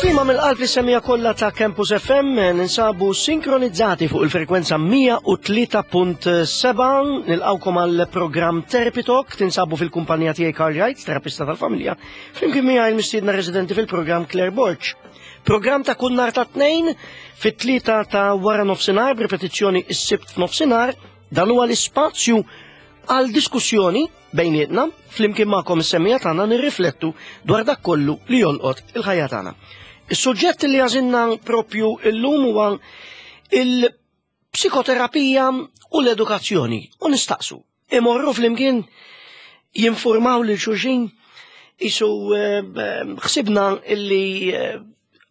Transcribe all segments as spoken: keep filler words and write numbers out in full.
Tislima mill-qalb lis-semmiegħa kollha ta' Campus F M, ninsabu sinkronizzati fuq il-frekwenza mija u tlieta punt sebgħa. Nilqgħukom għal programm Therapy Talk, tinsabu fil-kumpanija tiegħi Karl Wright, terapista tal-familja, flimkien miegħi il-mistiedna residenti fil-programm Claire Borg. Programm ta' kull nhar ta' Tnejn fit-tlieta ta' wara nofsinhar, b'ripetizzjoni is-Sibt f'nofsinhar. Dan huwa l-ispazju għal diskussjoni bejnietna, flimkien magħkom is-semmiegħa tagħna, nirriflettu dwar dak kollu li jolqot il-ħajja tagħna. Is-suġġett li għażilna propju illum huwa il-psikoterapija u l-edukazzjoni u nistaqsu: imorru flimkien? Jinformaw lil xulxin? Isu eh, ħsibna illi eh,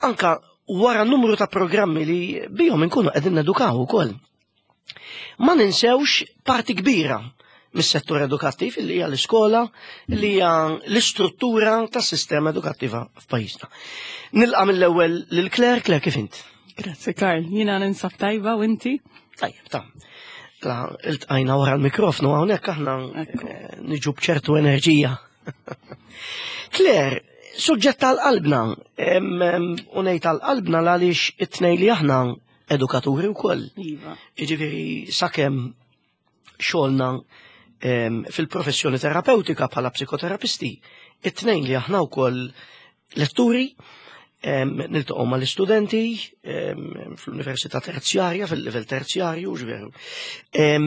anka wara numru ta' programmi li bihom inkunu qegħdin nedukaw ukoll, ma ninsewx parti kbira mis-settur edukattiv li hija l-iskola, li hija l-istruttura tas-sistema edukattiva f'pajjiżna. Nilqa' mill-ewwel lil Claire. Claire, kif int? Grazzi, Karl, jiena ninsab tajba, u inti? Tajjeb, ta' la iltqajna wara l-mikrofnu, hawnhekk aħna Ekku. eh, niġu b'ċertu enerġija. Claire, suġġett tal-qalbna, em, em, u ngħid tal-qalbna għaliex it-tnejn li aħna edukaturi wkoll. Iva. Jiġifieri sakemm xogħolna em, fil-professjoni terapeutika bħala psikoterapisti, it-tnejn li aħna wkoll letturi, em, niltaqgħu mal-istudenti em, fl-università terzjarja, fil-livell terzjarju, ġveru. Em,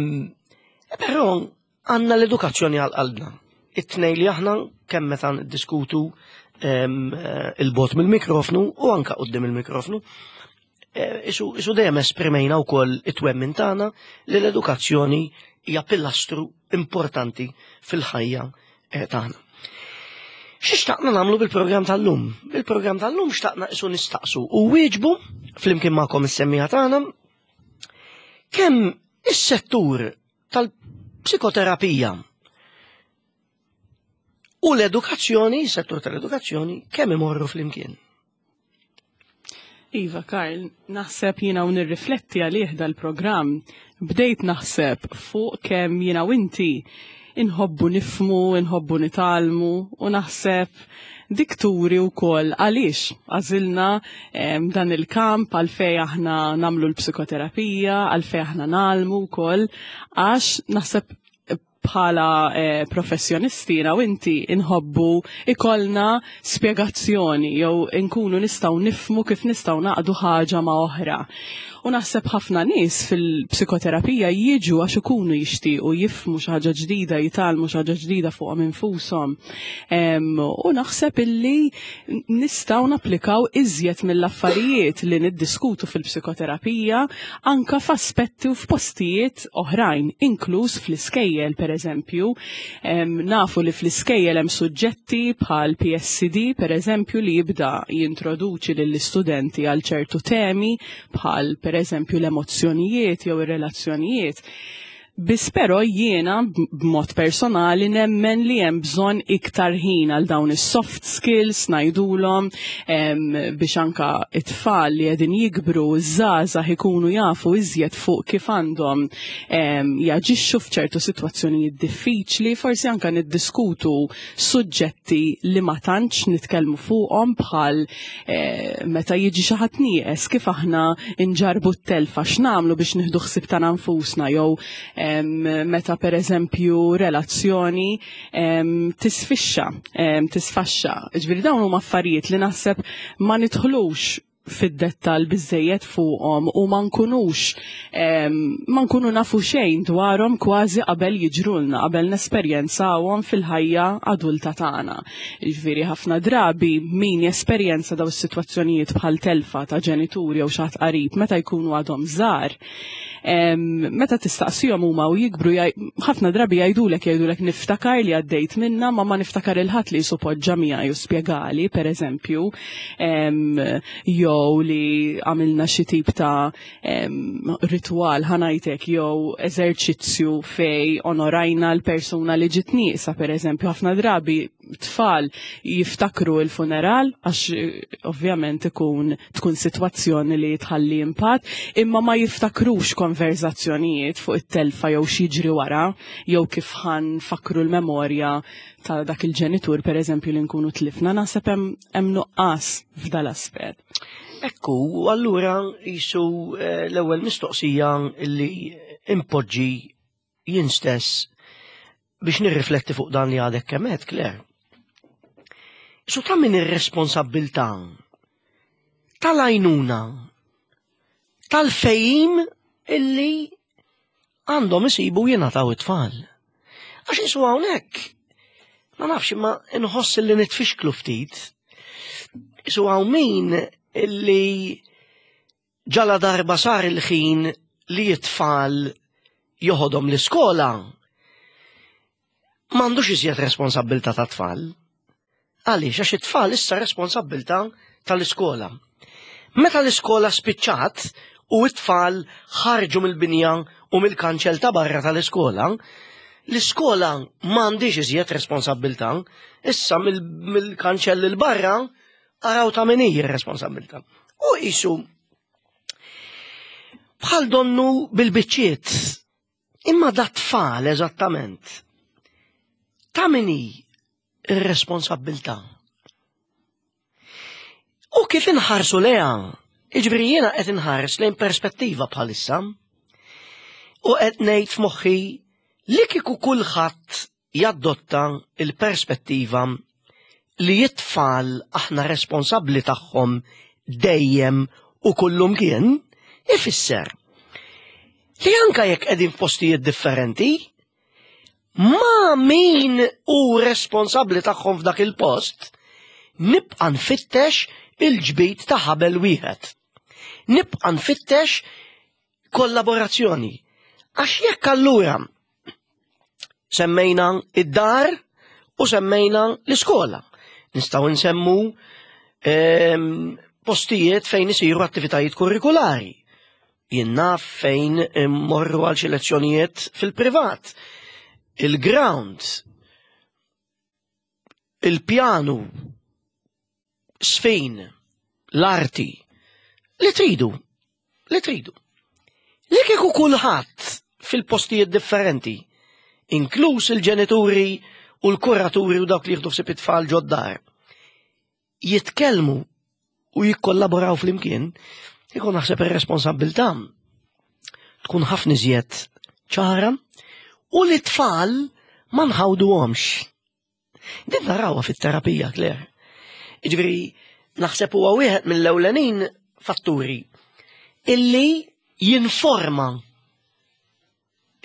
Però għandna l-edukazzjoni għal qalbna. It-tnejn li aħna kemm meta niddiskutu em, eh, 'il bogħod mill-mikrofnu u anka quddiem il-mikrofnu, eh, isu, isu dejjem esprimejna wkoll it-twemmin tagħna li l-edukazzjoni hija pilastru importanti fil-ħajja eh, tagħna. Xi xtaqna nagħmlu bil-programm tal-lum? Bil-programm tal-lum xtaqna isu nistaqsu u nwieġbu flimkien magħkom is-semmiegħa tagħna kemm is-settur tal-psikoterapija u l-edukazzjoni, settur tal-edukazzjoni, kemm imorru flimkien. Iva, Karl, naħseb jiena u nirrifletti għalih dal-programm, bdejt naħseb fuq kemm jiena u inti inħobbu nifhmu, inħobbu nitgħallmu, u naħseb dik turi wkoll għaliex għażilna em, dan il-kamp, għalfejn aħna nagħmlu l-psikoterapija, għalfejn aħna ngħallmu wkoll, għax naħseb bħala eh, professjonisti u inti inħobbu ikollna spjegazzjoni jew inkunu nistgħu nifhmu kif nistgħu naqdu ħaġa ma' oħra. U naħseb ħafna nies fil-psikoterapija jiġu għax ikunu jixtiequ jifhmu xi ħaġa ġdida, jitgħallmu xi ħaġa ġdida fuqhom infushom. Em, U naħseb illi nistgħu napplikaw iżjed mill-affarijiet li niddiskutu fil-psikoterapija anka f'aspetti u f'postijiet oħrajn, inkluż fl-iskejjel, per eżempju. Em, Nafu li fl-iskejjel hemm suġġetti bħal P S C D, per eżempju, li jibda jintroduċi lill-istudenti għal ċertu temi bħal per eżempju l-emozzjonijiet jew ir-relazzjonijiet. Biss però jiena b'mod personali nemmen li hemm bżonn iktar ħin għal dawn is-soft skills ngħidulhom, em, biex anka it-tfal li qegħdin jikbru, żgħażagħ, ikunu jafu iżjed fuq kif għandhom em, jaġixxu f'ċertu sitwazzjonijiet diffiċli, forsi anka niddiskutu suġġetti li ma tantx nitkellmu fuqhom, bħal eh, meta jiġi xi ħadd nieqes, kif aħna nġarbu t-telfa, x'nagħmlu biex nieħdu ħsieb tagħna nfusna, jew em, meta per eżempju relazzjoni em, tisfixxa, em, tisfaxxa. Ġifieri dawn huma affarijiet li naħseb ma nidħlux fid-dettal biżejjed fuqhom u ma nkunux em, ma nkunu nafu xejn dwarhom kważi qabel jiġrulna, qabel nesperjenzawhom fil-ħajja adulta tagħna. Jiġifieri ħafna drabi min jesperjenza daw is-sitwazzjonijiet bħal telfa ta' ġenituri jew xi ħadd qarib meta jkunu għadhom żgħar, em, meta tistaqsihom huma u jikbru, jgħaj- ħafna drabi jgħidulek jgħidulek "Niftakar li għaddejt minna, ma ma niftakar 'il ħadd li poġġa miegħi u spjegali", per eżempju, em, jew li għamilna xi tip ta' em, ritual, ħa ngħidlek, jew eżerċizzju fej onorajna l-persuna li ġiet nieqsa, per eżempju, ħafna drabi Tfal jiftakru il-funeral għax eh, ovvjament ikun tkun sitwazzjoni li tħalli impatt, imma ma jiftakrux konverzazzjonijiet fuq it-telfa jew x'jiġri wara, jew kif ħa nfakkru l-memorja ta' dak il-ġenitur per eżempju li nkunu tlifna, naħseb hemm nuqqas f'dal-aspett. Ekku, allura jisu eh, l-ewwel mistoqsija li impoġġi jien stess biex nirrifletti fuq dan li għadek kemm għedt, Claire. Su ta' min ir-responsabbiltà tal-għajnuna tal-fehim illi għandhom isibu jingħataw it-tfal. Għax jisu hawnhekk, ma nafx imma inħoss li nitfixklu ftit. Jisu hawn min illi ġala darba sar il-ħin li it-tfal joħodhom l-iskola m'għandux iżjed responsabbiltà ta' tfal. Għaliex, għax it-tfal issa responsabbiltà tal-iskola. Meta l-iskola spiċċat u it-tfal ħarġu mill-binja u mill-kanċell ta' barra tal-iskola, l-iskola m'għandix iżjed responsabbiltà, issa mill-kanċell il barra araw ta' min hi r-responsabbiltà. U jisu bħal donnu bil-biċċiet, imma da tfal eżattament. Ta' min hi ir-responsabbiltà. U kif inħarsu leha, iġifieri jiena qed inħares lejn perspettiva bħalissa, u qed ngħid f'moħħi li kieku kulħadd jaddotta il-perspettiva li it-tfal aħna responsabbli tagħhom dejjem u kullum kien, ifisser li anka jekk qegħdin f'postijiet differenti, ma min hu responsabbli tagħhom f'dak il-post, nibqa' nfittex il-ġbid ta' ħabel wieħed. Nibqa' nfittex kollaborazzjoni. Għax jekk allura semmejna id-dar u semmejna l-iskola. Nistgħu nsemmu ehm, postijiet fejn isiru attivitajiet kurrikulari. Jien naf fejn morru għal xi lezzjonijiet fil-privat. Il-ground, il-pjanu, sfin, l-arti, li tridu, li tridu. Li kieku kulħadd fil-postijiet differenti, inkluż il-ġenituri u l-kuraturi u dawk li jieħdu ħsieb it-tfal ġod-dar, jitkellmu u jikkollaboraw flimkien, ikun naħseb ir-responsabbiltà tkun ħafna iżjed ċara u li tfal ma nħawduhomx. Din narawha fit-terapija, Claire. Jiġifieri, naħseb huwa wieħed mill-ewlenin fatturi illi jinforma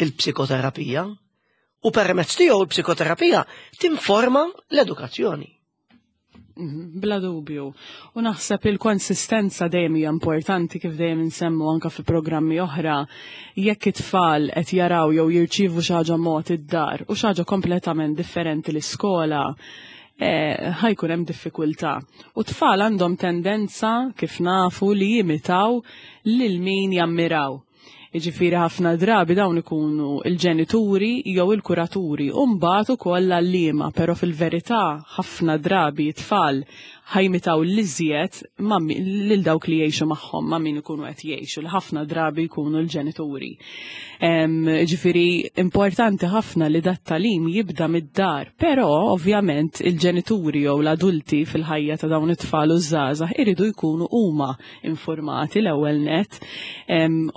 il-psikoterapija u permezz tiegħu il-psikoterapija tinforma l-edukazzjoni. Mhm, bla dubju. U naħseb il-konsistenza dejjem hija importanti kif dejjem insemmu anka fi programmi oħra. Jekk it-tfal qed jaraw jew jirċievu xi ħaġa mod id-dar u xi ħaġa kompletament differenti l-iskola, eh, ħa jkun hemm diffikultà. U tfal għandhom tendenza kif nafu li jimitaw lil min jammiraw. Jiġifieri ħafna drabi dawn ikunu il-ġenituri jew il-kuraturi u mbagħad ukoll l-għalliema, però fil-verità ħafna drabi tfal ħa jimitaw l-iżjed lil dawk li jgħixu magħhom ma' min ikunu qed jgħixu, li ħafna drabi jkunu l-ġenituri. Ġifieri importanti ħafna li dat-tagħlim jibda mid-dar, però ovvjament il-ġenituri jew l-adulti fil-ħajja ta' dawn it-tfal u żgħażagħ iridu jkunu huma informati l-ewwel net.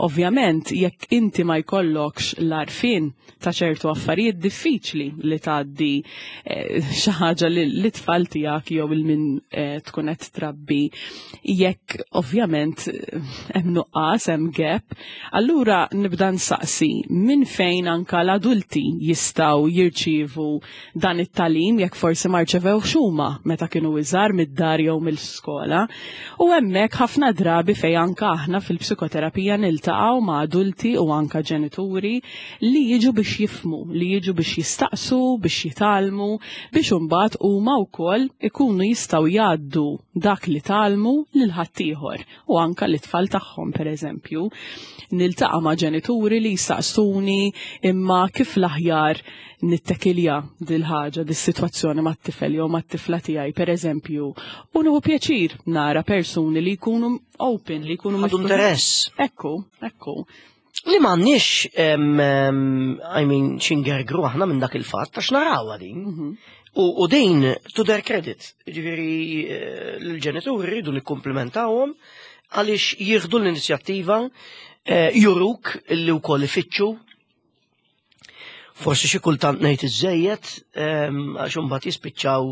Ovvjament jekk inti ma jkollokx l-għarfien ta' ċertu affarijiet diffiċli li tgħaddi eh, xi ħaġa li tfal tiegħek jew il-min eh, tkun qed trabbi jekk ovvjament hemm nuqqas, hemm gap, allura nibda nsaqsi minn fejn anka l-adulti jistgħu jirċievu dan it-tagħlim jekk forsi ma rċevewx huma meta kienu iżgħar mid-dar jew mill-iskola. U hemmhekk ħafna drabi fejn anka aħna fil-psikoterapija niltaqgħu ma' adulti u anka ġenituri li jiġu biex jifhmu, li jiġu biex jistaqsu, biex jitgħallmu, biex imbagħad huma wkoll ikunu jistgħu jgħallmu jgħaddu dak li tgħallmu lil ħaddieħor u anka l-tfal tagħhom, pereżempju. Niltaqa' ma' ġenituri li jsaqsuni imma kif l-aħjar nittekilja dil-ħaġa, dis-sitwazzjoni mat-tifel jew mat-tifla tiegħi, pereżempju. U nieħu pjaċir nara persuni li jkunu open, li jkunu Għadu miftuħin. Interess. Ekku, ekku. Li m'għandniex, em, em, I mean, x'ingergru aħna minn dak il-fatt, għax narawha din. Mhm. U, u din, to their credit, ġifieri, eh, l-ġenituri rridu nikkumplimentawhom għaliex jieħdu l-inizjattiva, eh, juruk li wkoll ifittxu. Forsi xi kultant ngħid iżejjed, em, għax imbagħad jispiċċaw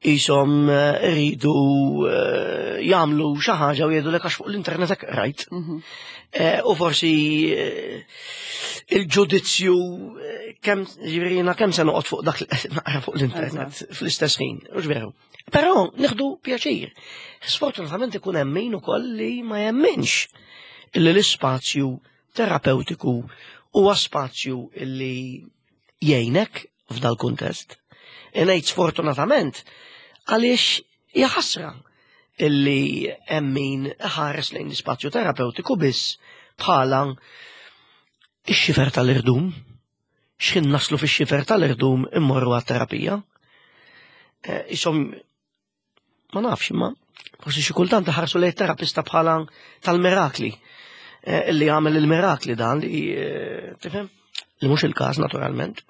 qishom eh, iridu eh, jagħmlu xi ħaġa u jgħidulek għax fuq l-internet hekk rajt. Mhm. Eh, U forsi eh, il-ġudizzju eh, kemm ġifieri jiena kemm se noqgħod fuq dak li qed naqra fuq l-internet fl-istess ħin, hux veru? Però nieħdu pjaċir. Sfortunatament ikun hemm min ukoll li ma jemminx illi l-ispazju terapeutiku huwa spazju illi jgħinek f'dal kuntest. Ngħid sfortunatament għaliex hija ħasra illi hemm min ħares lejn l-ispazju terapeutiku biss bħala ix-xifer tal-irdum. X'ħin naslu fix-xifer tal-irdum immorru għat-terapija. Eh, Isom, ma nafx, imma forsi xi kultant ħarsu lejn terapista bħala tal-mirakli. Eh, Illi għamel il-mirakli dan li, eh, tifhem? Li mhux il-każ naturalment.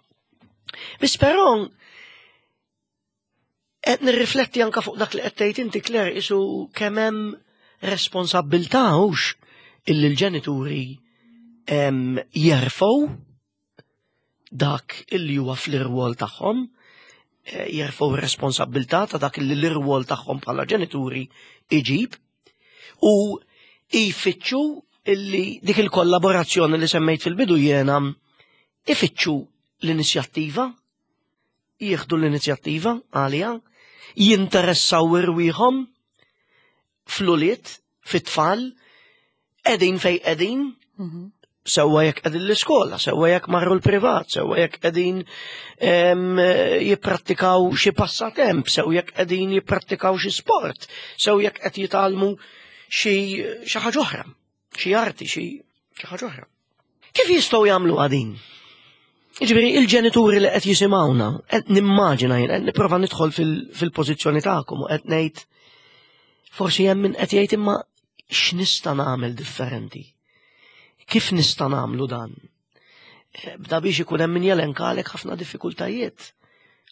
Biss però qed nirrifletti anka fuq dak li qed tgħid inti, Claire, isu kemm hemm responsabbiltà hux illi l-ġenituri em, jerfgħu dak illi huwa fl-irwol tagħhom, eh, jerfgħu r-responsabbiltà ta' dak illi l-irwol tagħhom bħala ġenituri iġib u jfittxu illi dik il-kollaborazzjoni li semmejt fil-bidu jiena, ifittxu l-inizjattiva, jieħdu l-inizjattiva għalija, jinteressaw irwieħhom fl-ulied, fit-tfal, qegħdin fej qegħdin, Mhm. sewwa jekk qegħdin l-iskola, sewwa jekk marru l-privat, sewwa jekk qegħdin em, jipprattikaw xi passatemp, sew jekk qegħdin jipprattikaw xi sport, sew jekk qed jitgħallmu xi xi ħaġa oħra, xi arti, xi xi ħaġa oħra. Kif jistgħu jagħmlu din? Jiġifieri il-ġenituri li qed jisimgħuna, qed nimmaġina jien, qed nipprova nidħol fil- fil-pożizzjoni tagħkom u qed ngħid forsi hemm min qed jgħid imma x'nista' nagħmel differenti? Kif nista' nagħmlu dan? Eh, Bda biex ikun hemm min jelenkalek ħafna diffikultajiet.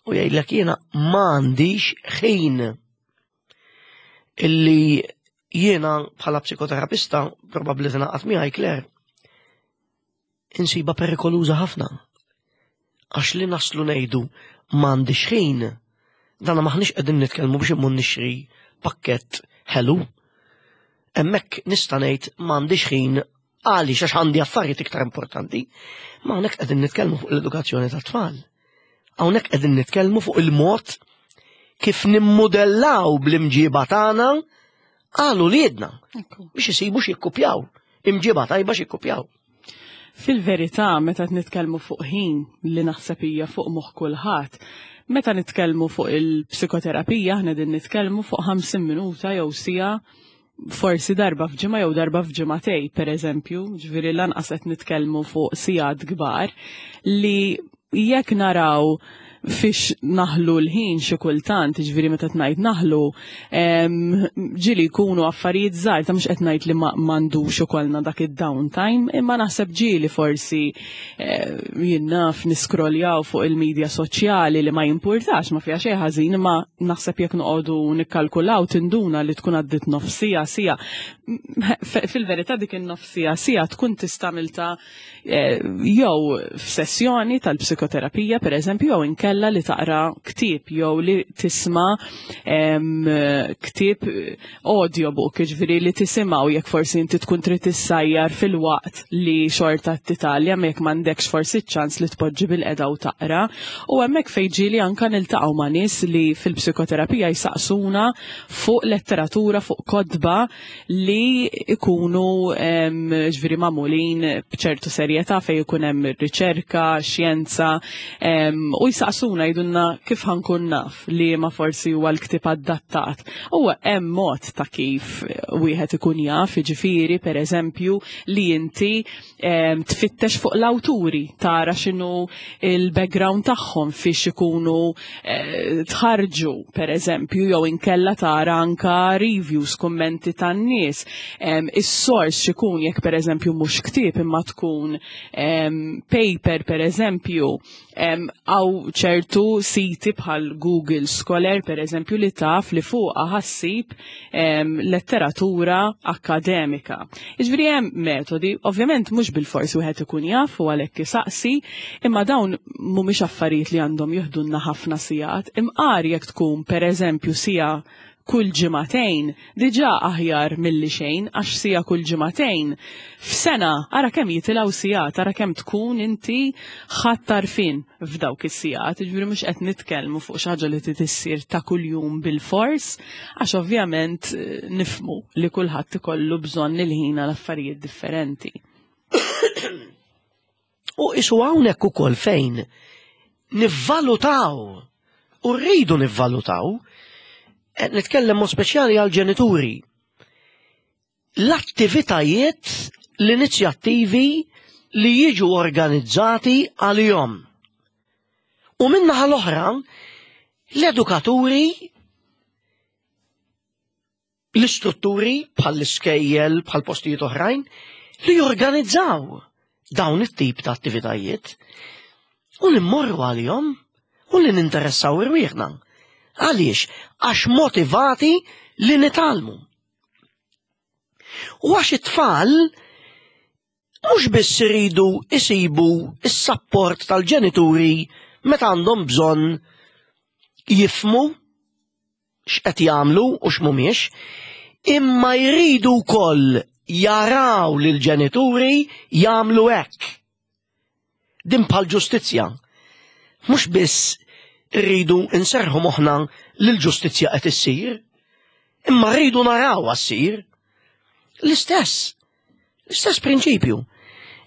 U jgħidlek jiena m'għandix ħin illi jiena bħala psikoterapista probabbli tingħaqad miegħi, Claire, insiba perikoluża ħafna. Għax li naslu ngħidu m'għandix ħin, dana maħniex qegħdin nitkellmu biex immur nixtri pakkett ħelu. Hemmhekk nista' ngħid m'għandix ħin għaliex għax għandi affarijiet iktar importanti. Ma hawnhekk qegħdin nitkellmu fuq l-edukazzjoni tat-tfal. Hawnhekk qegħdin nitkellmu fuq il-mod kif nimmodellaw bl-imġiba tagħna għal uliedna Ekku. biex isibu x'jikkupjaw. Imġiba tajba x'jikkupjaw. Fil-verità, meta nitkellmu fuq ħin li naħseb hija fuq moħħ kulħadd, meta nitkellmu fuq il-psikoterapija, aħna din nitkellmu fuq ħamsin minuta jew siegħa, forsi darba f'ġimgħa jew darba f'ġimagħtejn, per eżempju, ġifieri lanqas qed nitkellmu fuq sigħat kbar li jekk naraw fiex naħlu l-ħin xi kultant, ġifieri meta tgħid naħlu, em, ġieli jkunu affarijiet żgħar ta' mhux qed ngħid li ma m'għandux ukollna dak id-downtime, imma naħseb ġieli forsi eh, jien naf niskroljaw fuq il-medja soċjali li ma jimpurtax, ma fiha xejn ħażin, imma naħseb jekk noqogħdu nikkalkulaw tinduna li tkun għaddit nofsija siegħa. F- Fil-verità dik in-nofsija siegħa tkun tista' eh, jew f'sessjoni tal-psikoterapija per eżempju, jew inkella li taqra ktieb jew li tisma' em, ktieb audiobook, ġifieri li tisimgħu jekk forsi inti tkun trid tissajjar filwaqt li xorta titgħallem jekk m'għandekx forsi ċans li tpoġġi bilqiegħda u taqra. U hemmhekk fejn ġieli anka niltaqgħu ma' nies li fil-psikoterapija jsaqsuna fuq letteratura, fuq kotba li ikunu em, ġifieri magħmulin b'ċertu serjetà fejn ikun hemm riċerka, xjenza, em, u jsaqsuna jistaqsuna, jgħidulna kif ħa nkun naf li ma forsi huwa l-ktieb adattat. Huwa hemm mod ta' kif wieħed ikun jaf, jiġifieri, pereżempju, li inti em, tfittex fuq l-awturi, tara x'inhu il-background tagħhom, fiex ikunu eh, tħarġu, pereżempju, jew inkella tara anka reviews, kummenti tan-nies. Em, Is-source x'ikun, jekk pereżempju mhux ktieb imma tkun em, paper, pereżempju, hawn ċertu siti bħal Google Scholar, pereżempju, li taf li fuqha ħa ssib em, letteratura akademika. Jiġifieri hemm metodi, ovvjament mhux bil-forsi wieħed ikun jaf u għalhekk isaqsi, imma dawn mhumiex affarijiet li għandhom jiħdulna ħafna sigħat. Imqar jekk tkun, pereżempju, siegħa kull ġimagħtejn, diġà aħjar milli xejn, għax siegħa kull ġimagħtejn f'sena ara kemm jitilgħu sigħat, ara kemm tkun inti ħadt għarfien f'dawk is-sigħat. Jiġifieri mhux qed nitkellmu fuq xi ħaġa li trid issir ta' kuljum bil-fors, għax ovvjament eh, nifhmu li kulħadd ikollu bżonn il-ħin għal affarijiet differenti. U isu hawnhekk ukoll fejn nivvalutaw u rridu nivvalutaw, qed nitkellem mod speċjali għal ġenituri, l-attivitajiet, l-inizjattivi li jiġu organizzati għalihom. U min-naħa l-oħra, l-edukaturi, l-istrutturi bħal iskejjel, bħal postijiet oħrajn, li jorganizzaw dawn it-tip ta' attivitajiet u li mmorru għalihom u li ninteressaw irwieħna. Għaliex? Għax motivati li nitgħallmu. U għax it-tfal mhux biss iridu isibu is-sapport tal-ġenituri meta għandhom bżonn jifhmu x'qed jagħmlu u x'mhumiex, imma jridu wkoll jaraw lil ġenituri jagħmlu hekk. Din bħal ġustizzja. Mhux biss rridu nserħu moħħna li l-ġustizzja qed issir, imma rridu naraw ssir. L-istess, l-istess prinċipju.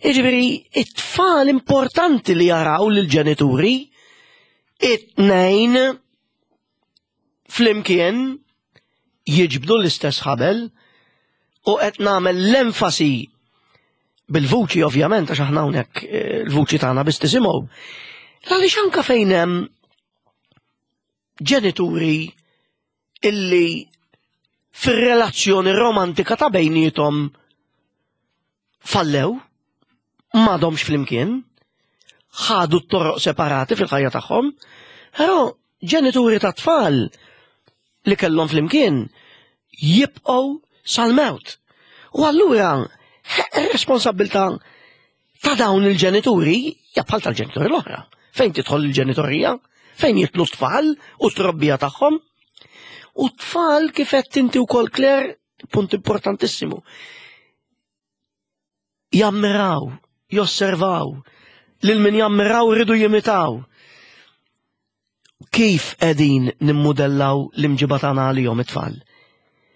Jiġifieri, it-tfal importanti li jaraw lil ġenituri it-tnejn flimkien jiġbdu l-istess ħabel, u qed nagħmel l-enfasi bil-vuċi, ovvjament, għax aħna hawnhekk eh, l-vuċi tagħna biss tisimgħu. Għaliex anka fejn hemm ġenituri illi fir-relazzjoni romantika ta' bejniethom fallew, m'għadhomx flimkien, ħadu t-toroq separati fil-ħajja tagħhom, però ġenituri ta' tfal li kellhom flimkien jibqgħu sal-mewt. U allura ir-responsabbiltà ta' dawn il-ġenituri hija bħal tal-ġenituri l-oħra. Fejn tidħol il-ġenitorija? Fejn jidħlu t-tfal u t-trobbija tagħhom? U t-tfal, kif qed inti wkoll, Claire, punt importantissimu. Jammiraw, josservaw, lil min jammiraw iridu jimitaw. Kif qegħdin nimmudellaw l-imġiba tagħna għalihom it-tfal?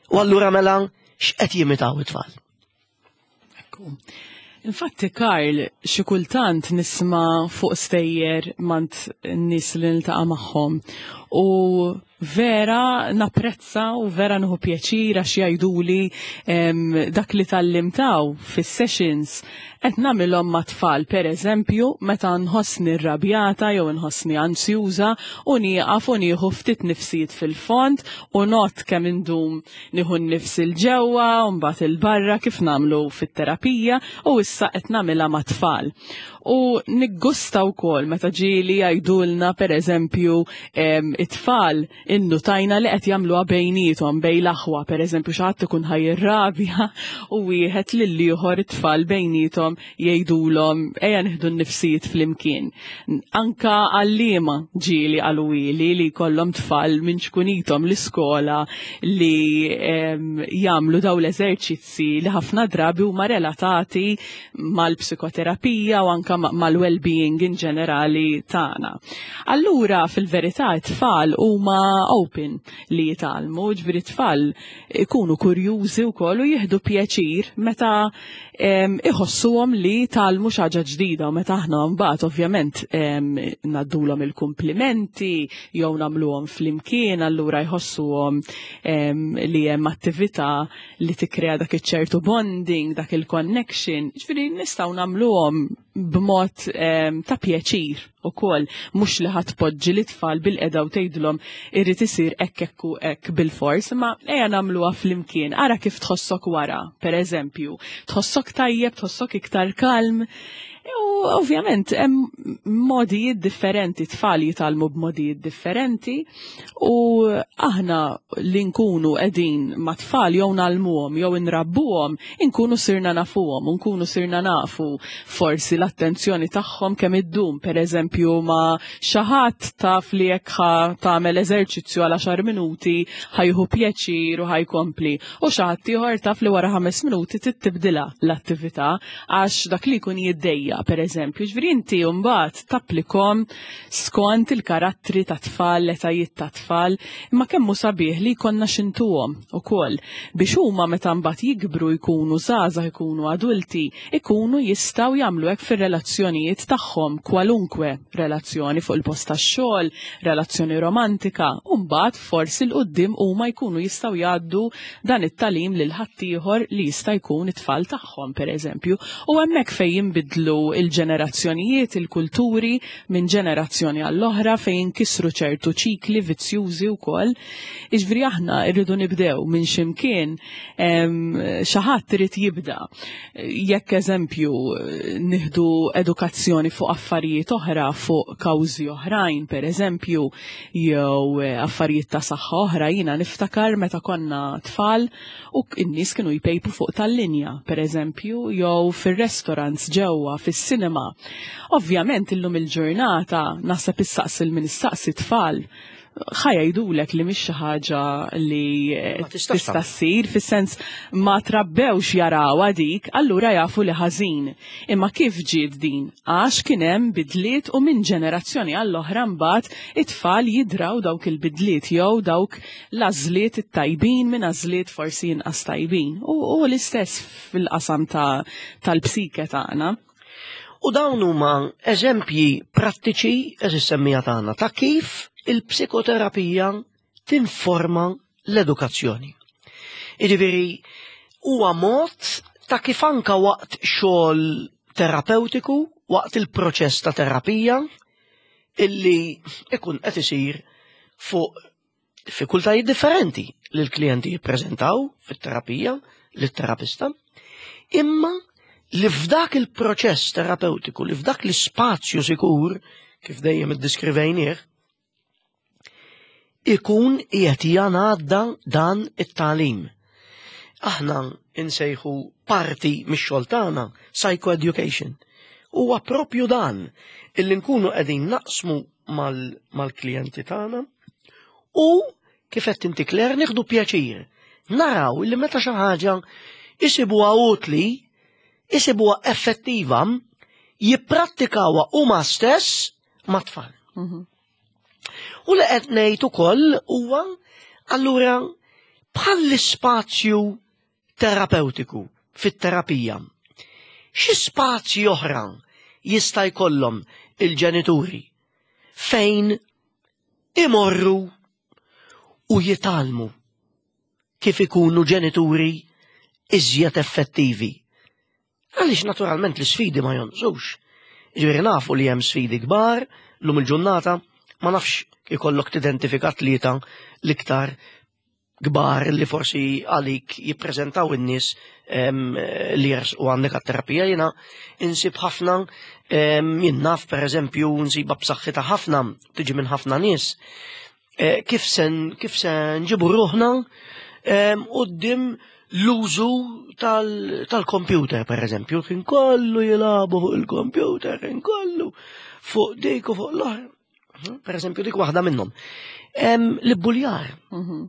U allura mela x'qed jimitaw it-tfal? Ekku. Infatti, Karl, xi kultant nisma' fuq stejjer mingħand nies li niltaqa' magħhom u vera napprezza u vera nieħu pjaċir għax jgħiduli em, dak li tgħallimtu fis-sessions qed nagħmilhom mat-tfal, pereżempju, meta nħossni rrabjata jew nħossni ansjuża u nieqaf u nieħu ftit nifsijiet fil-fond u not kemm indum nieħu n-nifs 'il ġewwa u mbagħad 'il barra, kif nagħmlu fit-terapija, u issa qed nagħmilha mat-tfal. U niggusta wkoll meta ġieli jgħidulna, pereżempju, em, it-tfal innutajna li qed jagħmluha bejniethom, bejn l-aħwa, pereżempju, xi ħadd ikun ħa jirrabja u wieħed lil ieħor, it-tfal bejniethom jgħidulhom, "Ejja nieħdu n-nifsijiet flimkien." Anka għalliema ġieli qaluli li jkollhom tfal minn ċkunithom l-iskola li em, jagħmlu daw l-eżerċizzi li ħafna drabi huma relatati mal-psikoterapija u anka ma- mal-well-being in ġenerali tagħna. Allura fil-verità it-tfal It-tfal huma open li jitgħallmu, ġifieri tfal ikunu kurjużi wkoll u jieħdu pjaċir meta iħossuhom li tgħallmu xi ħaġa ġdida u meta aħna mbagħad ovvjament ngħaddulhom il-kumplimenti jew nagħmluhom flimkien, allura jħossuhom li hemm attività li tikkrea dak iċ-ċertu bonding, dak il-connection, ġifieri nistgħu nagħmluhom b'mod ta' pjaċir ukoll, mhux li ħadd poġġi l-itfal bil-qeda u tgħidilhom irid isir hekk hekk u hekk bil-fors, imma ejja nagħmluha flimkien, ara kif tħossok wara, pereżempju, tħossok tajjeb, tħossok iktar kalm. U ovvjament hemm modijiet differenti, tfal jitgħallmu b'modijiet differenti u aħna li nkunu qegħdin ma' tfal jew ngħallmuhom jew inrabbuhom, inkunu sirna nafuhom, nkunu sirna nafu forsi l-attenzjoni tagħhom kemm iddum, pereżempju ma' xi ħadd taf li jekk ħa tagħmel eżerċizzju għal għaxar minuti ħa jieħu pjaċir u ħajkompli, u xi ħadd ieħor taf li wara ħames minuti tibdilha l-attività għax dak li jkun jiddejja, per eżempju. Ġifieri inti mbagħad tapplikom skont il-karattri ta' tfal, l-etajiet ta' tfal, imma kemm hu sabiħ li jkollna x'intuhom ukoll biex huma meta mbagħad jikbru jkunu żgħażagħ, jkunu adulti, ikunu jistgħu jagħmlu hekk fir-relazzjonijiet tagħhom, kwalunkwe relazzjoni fuq il-post tax-xogħol, relazzjoni romantika, u mbagħad forsi 'l quddiem huma jkunu jistgħu jgħaddu dan it-tagħlim lil ħaddieħor li jista' jkun it-tfal tagħhom, per eżempju. U hemmhekk fejn jinbidlu il-ġenerazzjonijiet, il-kulturi minn ġenerazzjoni għall-oħra, fejn jinkisru ċertu ċikli vizzjużi wkoll. Jiġifieri aħna rridu nibdew minn ximkien, xi ħadd irid jibda. Jekk eżempju nieħdu edukazzjoni fuq affarijiet oħra, fuq kawżi oħrajn, per eżempju, jew affarijiet ta' saħħa oħra, jiena niftakar meta konna tfal u n-nies kienu jpejpu fuq tal-linja, per eżempju, jew fir-restaurants ġewwa, fis-cinema. Ovvjament illum il-ġurnata naħseb issaqsi lil min issaqsi tfal ħa jgħidulek li mhix xi ħaġa li Ma tistax tista' ssir, fis-sens ma trabbewx jarawha dik, allura jafu li ħażin. Imma kif ġiet din? Għax kien hemm bidliet u minn ġenerazzjoni għall-oħra mbagħad it-tfal jidraw dawk il-bidliet jew dawk l-għażliet it-tajbin minn għażliet forsi inqas tajbin. U, u l-istess fil-qasam ta' tal-psike tagħna. U dawn huma eżempji prattiċi, eżis semmija tagħna, ta' kif il-psikoterapija tinforma l-edukazzjoni. Jiġifieri huwa mod ta' kif anka waqt xogħol terapeutiku, waqt il-proċess ta' terapija, illi ikun qed isir fuq diffikultajiet differenti li l-klijenti jippreżentaw fit-terapija lit-terapista, imma li f'dak il-proċess terapeutiku, li f'dak l-ispazju sikur, kif dejjem iddiskrivejnieh, ikun qiegħed jingħadda dan it-tagħlim. Aħna insejħu parti mix-xogħol tagħna psychoeducation. Huwa propju dan illi nkunu qegħdin naqsmu mal-klijenti tagħna u kif qed inti Claire nieħdu pjaċir. Naraw illi meta xi ħaġa isibuha utli, isibuha effettiva, jipprattikawha huma stess mat-tfal. Mhm. U li qed ngħid ukoll huwa allura bħall-ispazju terapeutiku fit-terapija. Xi spazji oħra jista' jkollhom il-ġenituri fejn imorru u jitgħallmu kif ikunu ġenituri iżjed effettivi. Għaliex naturalment l-sfidi ma jonqsux. Ġifieri nafu li hemm sfidi kbar, lum il-ġurnata, ma nafx ikollok tidentifika tlieta l-iktar kbar li forsi għalik jippreżentaw in-nies em, li jersqu għandek għat-terapija. Jiena insib ħafna, em, jien naf per eżempju nsibha b'saħħitha ħafna, tiġi minn ħafna nies. Eh, kif sen, kif se nġibu ruħna, em, quddiem l-użu tal- tal-computer, per eżempju, kien kollu jilagħbu fuq il-computer, kien kollu fuq dik u fuq l-oħra. Per eżempju, dik waħda minnhom. Em, L-ibbuljar Mhm.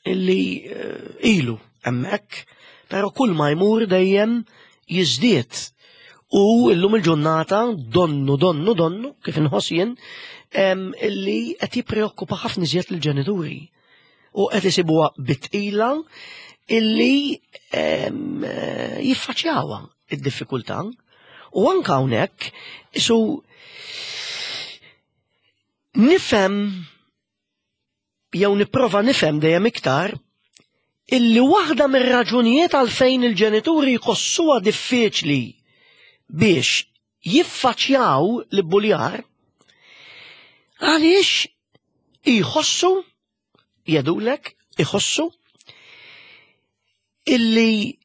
illi eh, ilu hemmhekk, però kull ma jmur dejjem jiżdied. U llum il-ġurnata donnu, donnu, donnu, kif inħoss jien, illi qed jippreokkupa ħafna iżjed lill-ġenituri. U qed isibuha bi tqila illi jiffaċċjawha id-diffikultà. U anke hawnhekk isu nifhem jew nipprova nifhem dejjem iktar illi waħda mir-raġunijiet għalfejn il-ġenituri jħossuha diffiċli biex jiffaċċjaw l-ibbuljar għaliex jħossu, jgħidulek, iħossu illi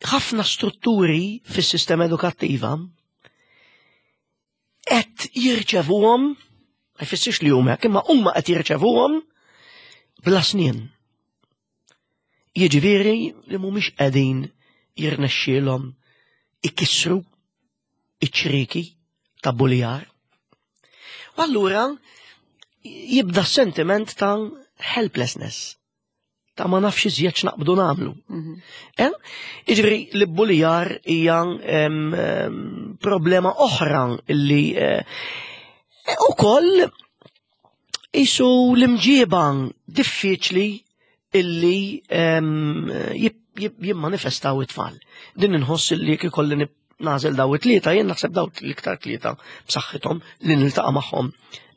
ħafna strutturi fis-sistema edukattiva qed jirċevuhom, ma jfissirx li huma hekk, imma huma qed jirċevuhom bla snien. Jiġifieri li mhumiex qegħdin jirnexxielhom ikissru iċ-ċrieki ta' buljar. U allura jibda sentiment ta' helplessness, ta' ma nafx iżjed x'naqbdu nagħmlu. Eh? Jiġifieri l-buljar hija em, em, problema oħra illi eh, ukoll isu l-imġieba diffiċli illi em, jib- jib- jimmanifestaw it-tfal. Din inħoss illi jekk ikolli nib- nagħżel daw it-tlieta, jien naħseb daw l-iktar tlieta b'saħħithom li niltaqa' magħhom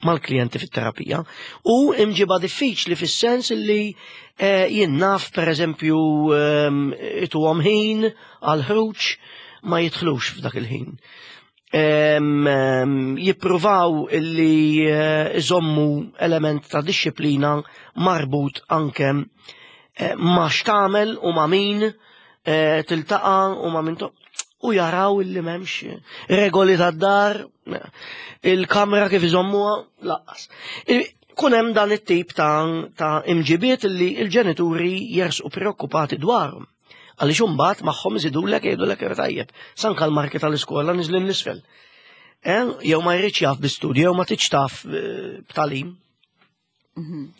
mal-klijenti fit-terapija. U imġiba diffiċli fis-sens illi eh, jien naf per eżempju ehm, ituhom ħin għal ħruġ ma jidħlux f'dak il-ħin. Em, em, jippruvaw illi eh, iżommu element ta' disċiplina marbut anke eh, ma' x'tagħmel u ma' min eh, tiltaqa' u ma' min to- u jaraw illi m'hemmx regoli tad-dar, il-kamra kif iżommuha, lanqas. Kun hemm dan it-tip ta', ta' imġibiet illi il-ġenituri jersqu preokkupati dwarhom. Għaliex imbagħad magħhom iżidulek jgħidulek tajjeb, sanka l-marki tal-iskola niżlin 'l isfel. Eh, jew ma jridx jaf bi studju, jew ma tridx taf eh, b'tagħlim.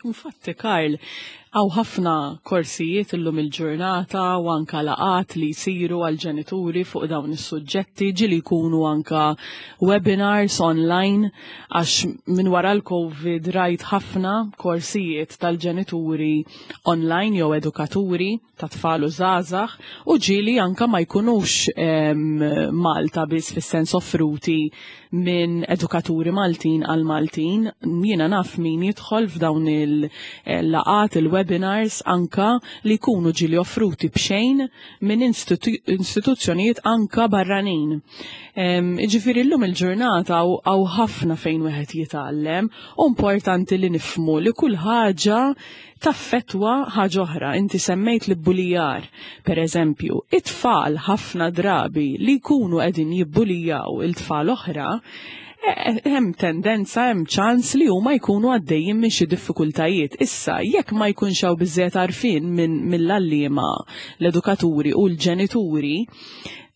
Infatti, Karl, hawn ħafna korsijiet illum il-ġurnata u anka laqgħat li jsiru għal-ġenituri fuq dawn is-suġġetti, ġieli jkunu anka webinars online, għax minn wara l-Covid rajt ħafna korsijiet tal-ġenituri online jew edukaturi ta' tfal u żgħażagħ, u ġieli anka ma jkunux em, Malta biss, fis-sens offruti minn edukaturi Maltin għal Maltin. Jiena naf min jidħol f'dawn il-laqgħat, il-webinars anka li jkunu ġieli offruti b'xejn minn istitu istituzzjonijiet anka barranin. Em, Ġifieri llum il-ġurnata hawn ħafna fejn wieħed jitgħallem u importanti li nifhmu li kull ħaġa taffettwa ħaġa oħra. Inti semmejt l-bullijar, per eżempju, it-tfal ħafna drabi li jkunu qegħdin jibbulijaw it-tfal oħra, eh, hemm tendenza, hemm ċans li huma jkunu għaddejjin minn xi diffikultajiet. Issa, jekk ma jkunx hawn biżżejjed għarfien minn mill-għalliema, l-edukaturi u l-ġenituri,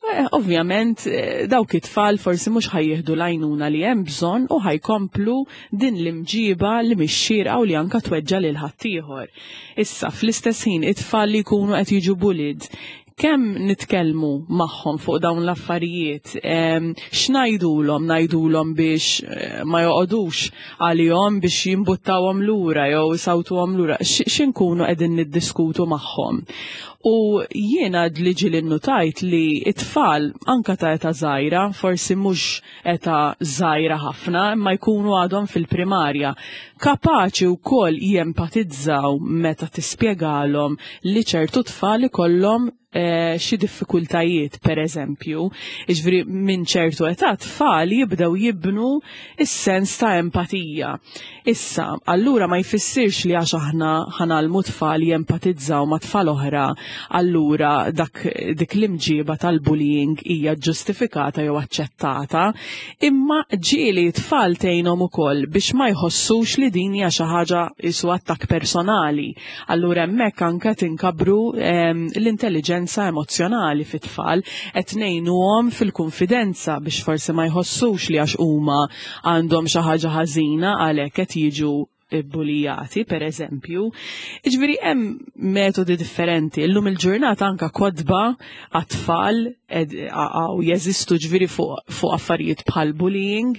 eh, ovvjament eh, dawk it-tfal forsi mhux ħa jieħdu l-għajnuna li hemm bżonn u ħa jkomplu din l-imġiba li mhix xierqa u li anka tweġġa lil ħaddieħor. Issa, fl-istess ħin, it-tfal li jkunu qed jiġu bullied, kemm nitkellmu magħhom fuq dawn l-affarijiet, em, x'ngħidulhom, ngħidulhom biex eh, ma joqogħdux għalihom, biex jimbuttawhom lura jew isawtuhom lura, x'inkunu qegħdin niddiskutu magħhom? U jiena li ġieli nnotajt li it-tfal anka ta' età żgħira, forsi mhux età żgħira ħafna, imma jkunu għadhom fil-primarja, kapaċi wkoll jempatizzaw meta tispjegalhom li ċertu tfal ikollhom eh, xi diffikultajiet, per eżempju. Jiġifieri minn ċertu età tfal jibdew jibnu is-sens ta' empatija. Issa, allura ma jfissirx li għax aħna ħa ngħallmu tfal jempatizzaw ma' tfal oħra, allura dak dik l-imġiba tal-bullying hija ġustifikata jew aċċettata, imma ġieli tfal tgħinhom ukoll biex ma jħossux li din hija xi ħaġa isu attakk personali. Allura hemmhekk anke tinkabru ehm, l-intelligenza emozzjonali fit-tfal, qed ngħinuhom fil-konfidenza biex forsi ma jħossux li għax huma għandhom xi ħaġa ħażina għalhekk qed jiġu bullijati, per eżempju. Jiġifieri hemm metodi differenti. Illum il-ġurnata anka kotba għat-tfal għaw jeżistu ġviri fuq fu affarijiet bħal bullying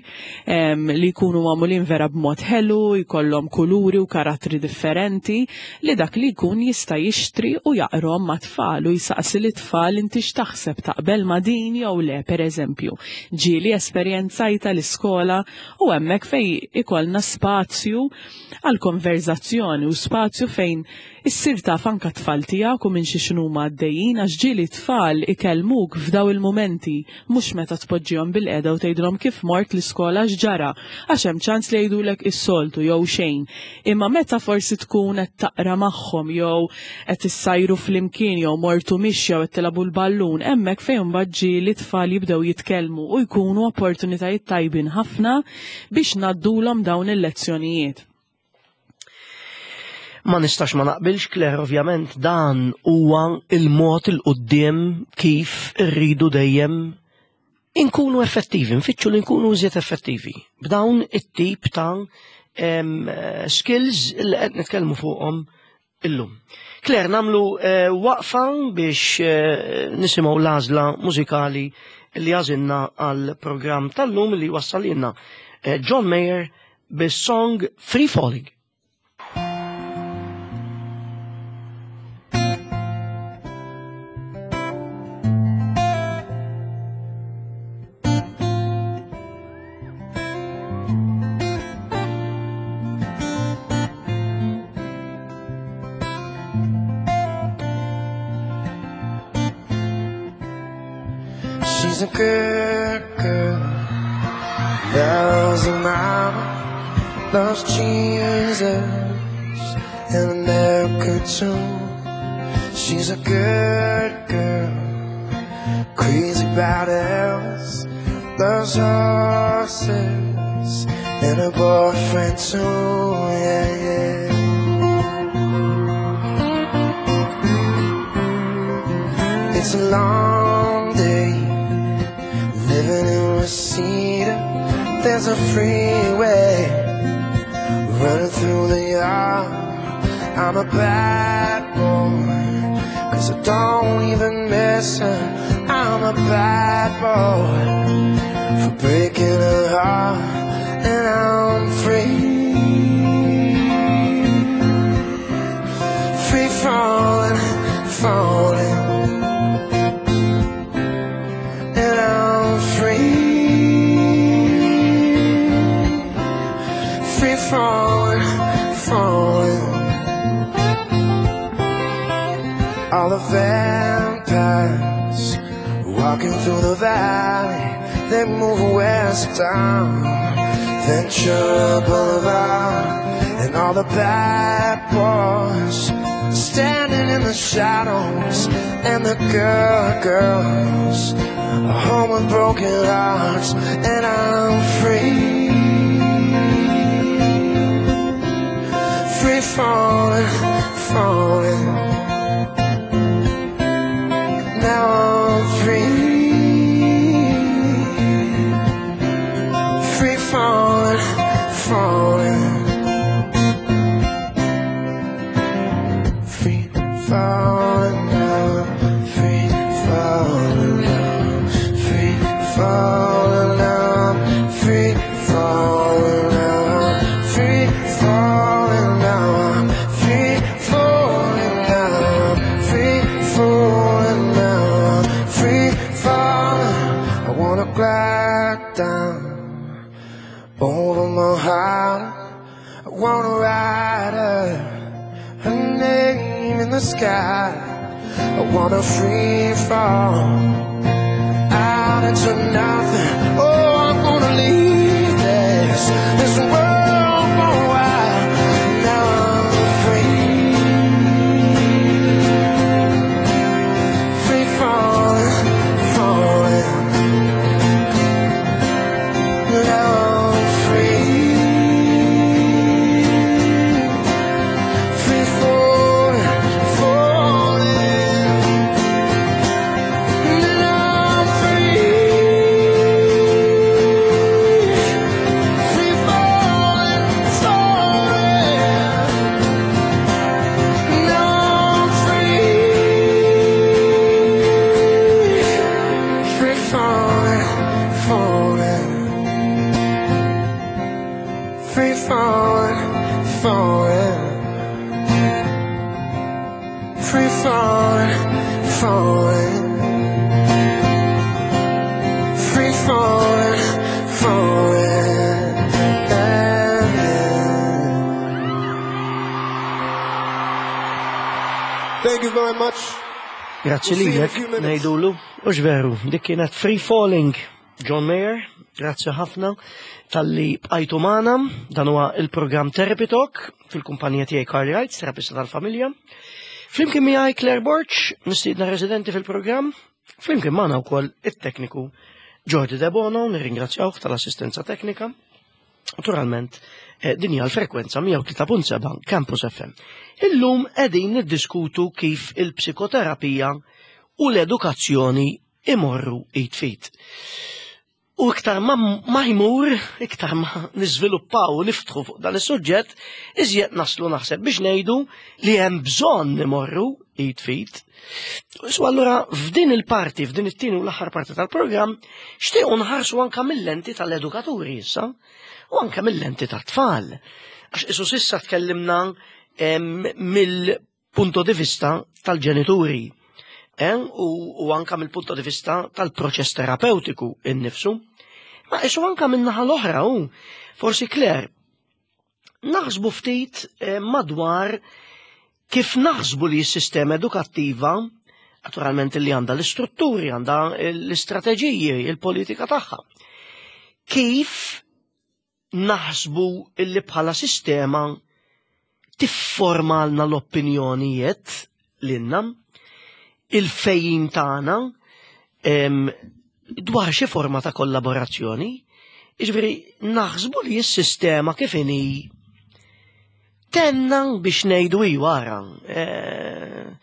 em, li jkunu magħmulin vera b'mod ħelu, jkollhom kuluri u karattri differenti li dak li jkun jista' jixtri u jaqrom ma' tfal u jisaqsi li tfal inti x'taħseb taqbel ma' din jew le, pereżempju. Ġieli esperjenzajta l-iskola u hemmhekk fejn ikollna spazju għal konverzazzjoni u spazju fejn issir taf anka tfal tiegħek u minn xi x'numa għaddejjin għax ġieli tfal ikellmuk f'daw il-mumenti mhux meta tpoġġihom bil-qeda u tgħidilhom kif mort l-iskola x'ġara għax hemm ċans li jgħidulek is-soltu jew xejn. Imma meta forsi tkun qed taqra magħhom jew qed issajru flimkien jew mortu mixja jew qed tilagħbu l-ballun, hemmhekk fejn imbagħad ġieli tfal jibdew jitkellmu u jkunu opportunitajiet tajbin ħafna biex ngħaddulhom dawn il-lezzjonijiet. Ma nistax ma naqbilx, Claire, ovvjament dan huwa il-mod il-qudiem kif irridu dejjem inkunu effettivi, nfittxu li nkunu iżjed effettivi. B'dawn it-tip ta' em, skills li qed nitkellmu fuqhom illum. Claire, namlu eh, waqfa biex eh, nisimgħu l-għażla mużikali li għażilna għal programm tal-lum li wassalilna eh, John Mayer bis-song Free Falling. She's a good girl, loves her mama, loves Jesus, and America too. She's a good girl, crazy about Elvis, loves horses, and her boyfriend too, yeah, yeah. It's a long day living in Reseda. There's a freeway running through the yard. I'm a bad boy, 'cause I don't even miss her. I'm a bad boy for breaking her heart. And I'm free, free falling, falling. And I'm free, free falling, falling. All the vampires walking through the valley, they move west down Ventura Boulevard. And all the bad boys standing in the shadows, and the good girls are home with broken hearts. And I'm free, free falling, falling. Now I'm free, free falling, falling. Free falling now, free falling now, free falling now, free falling now, free falling now, free falling now, free falling now, free falling. I wanna glide down over my heart. I wanna write her, her name in the sky. I wanna free fall out into nothing. Oh, I'm gonna leave this, this world for a while. Now I'm free, free falling, falling. Now I'm free, free falling, falling. Now I'm free, falling, falling. Yeah, yeah. Thank you very much. Grazzi We'll see you in a lilek, few minutes. ngħidulu. U veru, dik kienet Free Falling, John Mayer, grazzi ħafna talli bqajtu magħna, dan huwa il-programm Therapy Talk fil-kumpanija tiegħi Carly Wright, terapista tal-familja. Flimkien miegħi Claire Borg, mistiedna residenti fil-programm, flimkien magħna wkoll it-tekniku Jordi De Bono, nirringrazzjawh tal-assistenza teknika. Naturalment, eh, din hija l-frekwenza mija u tlieta punt seba' Campus F M. Illum qegħdin niddiskutu kif il-psikoterapija u l-edukazzjoni imorru id f'id. U iktar ma, ma jmur, iktar ma niżviluppaw u niftħu fuq dan is-suġġett, iżjed naslu naħseb biex ngħidu li hemm bżonn imorru id f'id. So allura f'din il-parti, f'din it-tieni u l-aħħar parti tal-programm, xtiequ nħarsu anka mill-lenti tal-edukaturi issa, u anka mill-lenti tat-tfal. Għax isu s'issa tkellimna em, mill-punto di vista tal-ġenituri. Eh, u, u anka mill-punto di vista tal-proċess terapeutiku innifsu. Ma isu anka min-naħa l-oħra u forsi Claire, naħsbu ftit eh, madwar kif naħsbu li s-sistema edukattiva, naturalment li għandha l-istrutturi, għandha l-istrateġiji, il-politika tagħha. Kif naħsbu illi bħala sistema tifformalna l-opinjonijiet lilna, il-fehim tagħna em, dwar xi forma ta' kollaborazzjoni, jiġifieri naħsbu li s-sistema kif inhi tenna biex ngħidu wara eh,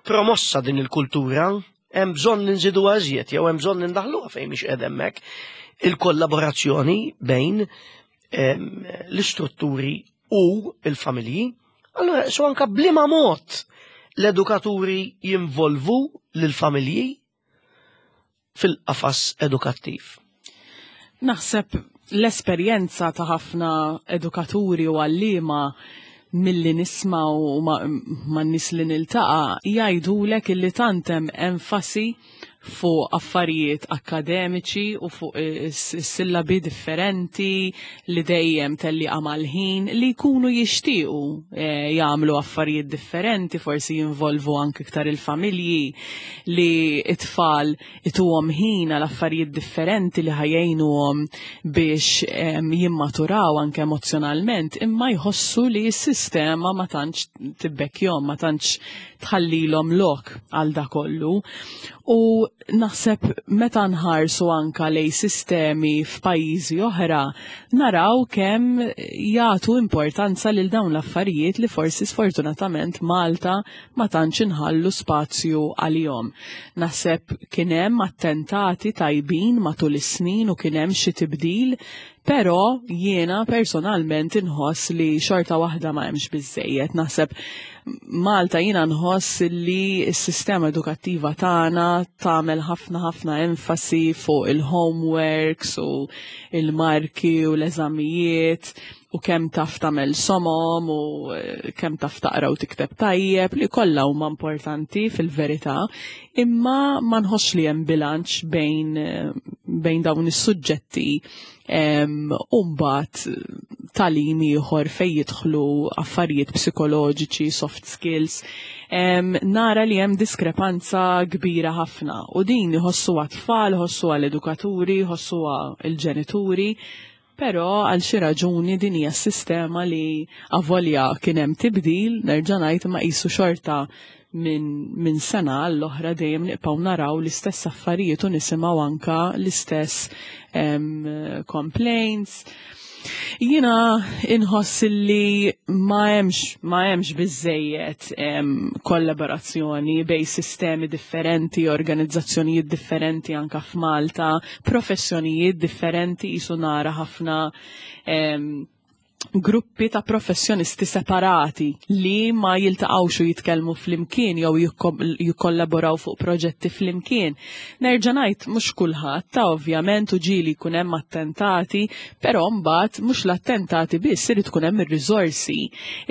promossa din il-kultura, hemm bżonn ninżidu iżjed jew hemm bżonn nindaħluha fejn mhix qed hemmhekk il-kollaborazzjoni bejn em, l-istrutturi u il-familji. Allora, so anka b'liema mod l-edukaturi jinvolvu lill-familji fil-qafas edukattiv. Naħseb l-esperjenza ta' ħafna edukaturi u għalliema milli nisma' u ma, ma nies li niltaqa' jgħidulek illi tant hemm enfasi fuq affarijiet akademiċi u fuq is-sillabi differenti li dejjem telliqa mal-ħin li jkunu jixtiequ eh, jagħmlu affarijiet differenti, forsi jinvolvu anke iktar il-familji, li it-tfal ituhom ħin għal affarijiet differenti li ħa jgħinuhom biex em, jimmaturaw anke emozjonalment, imma jħossu li s-sistema ma tantx tibbekkjahom, ma tantx tħallilhom lok għal da kollu. U naħseb meta nħarsu anka lej sistemi f'pajjiżi oħra, naraw kemm jagħtu importanza lil dawn l-affarijiet li forsi sfortunatament Malta ma tantx inħallu spazju għalihom. Naħseb kien hemm attentati tajbin matul is-snin u kien hemm xi tibdil, però jiena personalment inħoss li xorta waħda ma hemmx biżejjed. Naħseb Malta jiena nħoss li s-sistema edukattiva tagħna tagħmel ħafna ħafna enfasi fuq il-homeworks u il-marki u l-eżamijiet u kemm taf tagħmel somom u eh, kemm taf taqra u tikteb tajjeb, li kollha huma importanti fil-verità, imma ma nħossx li hemm bilanċ bejn eh, bejn dawn is-suġġetti u mbagħad tagħlim ieħor fejn jidħlu affarijiet psikoloġiċi, soft skills. Em, nara li hemm diskrepanza kbira ħafna u din iħossuha tfal, iħossuha l-edukaturi, iħossuha l-ġenituri, però għal xi raġuni din hija s-sistema li avolja kien hemm tibdil, nerġa' ngħid, ma qisu xorta minn min sena għall-oħra dejjem nibqgħu naraw l-istess affarijiet u nisimgħu anka l-istess em, complaints. Jiena inħoss li ma hemmx ma hemmx biżejjed em, kollaborazzjoni bej sistemi differenti, organizzazzjonijiet differenti anka f'Malta, professjonijiet differenti, jisu nara ħafna em, Gruppi ta' professjonisti separati li ma jiltaqgħux u jitkellmu flimkien jew jikkollaboraw fuq proġetti flimkien. Nerġa' ngħid, mhux kulħadd ta' ovvjament, u ġieli jkun hemm attentati, però mbagħad mhux l-attentati biss, irid ikun hemm ir-riżorsi,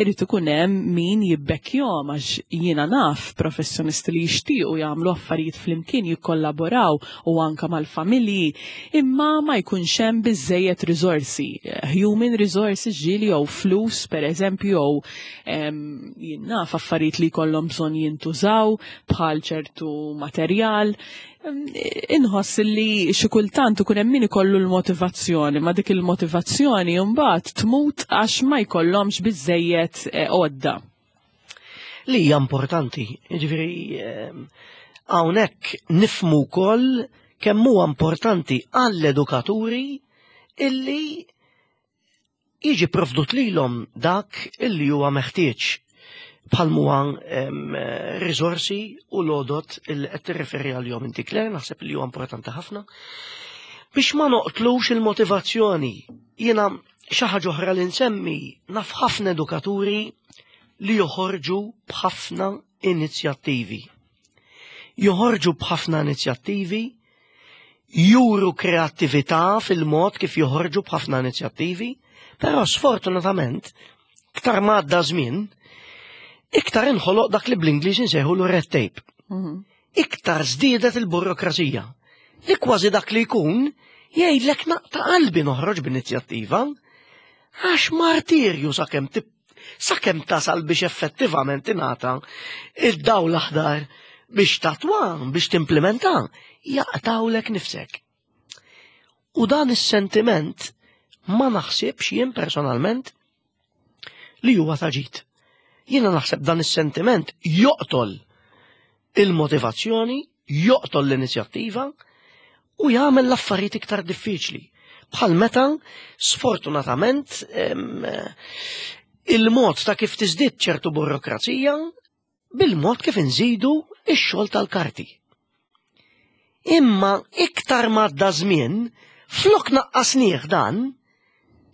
irid ikun hemm min jibbekkjahom, għax jiena naf professjonisti li jixtiequ jagħmlu affarijiet flimkien, jikkollaboraw u anka mal-familji, imma ma jkunx hemm biżejjed riżorsi, human resources ġieli, jew flus per eżempju, jew jien naf affarijiet li jkollhom bżonn jintużaw bħal ċertu materjal. Inħoss li xi kultant ikun hemm min ikollu l-motivazzjoni, ma dik il-motivazzjoni mbagħad tmut għax ma jkollhomx biżejjed eh, għodda. Li hija importanti, jiġifieri hawnhekk nifhmu wkoll kemm huwa importanti għall-edukaturi illi jiġi provdut lilhom dak illi huwa meħtieġ bħal huwa riżorsi u l-għodod illi qed tirreferi għalihom inti, Claire, naħseb li huwa importanti ħafna. Biex ma noqtlux il-motivazzjoni, jiena xi ħaġa oħra li nsemmi, naf ħafna edukaturi li joħorġu b'ħafna inizjattivi. Joħorġu b'ħafna inizjattivi, juru kreattività fil-mod kif joħorġu b'ħafna inizjattivi, però sfortunatament, iktar ma għadda żmien, iktar inħoloq dak li bl-Ingliż insejħu l-red tape. Mhm. Iktar żdiedet il-burokrazija. Li kważi dak li jkun jgħidlek, "Naqta' qalbi noħroġ b'inizjattiva, għax martirju sakemm sakemm tasal biex effettivament ingħata id-dawl l-aħdar biex tattwa, biex timplementa, jaqtawlek nifsek." U dan is-sentiment ma naħsibx jien personalment li huwa ta' ġid. Jiena naħseb dan is-sentiment joqtol il-motivazzjoni, joqtol l-inizjattiva u jagħmel l-affarijiet iktar diffiċli. Bħal meta, sfortunatament, il-mod ta' kif tiżdied ċertu burokrazija bil-mod kif inżidu ix-xogħol tal-karti. Imma iktar m'għadda żmien, flok naqqasnieh dan,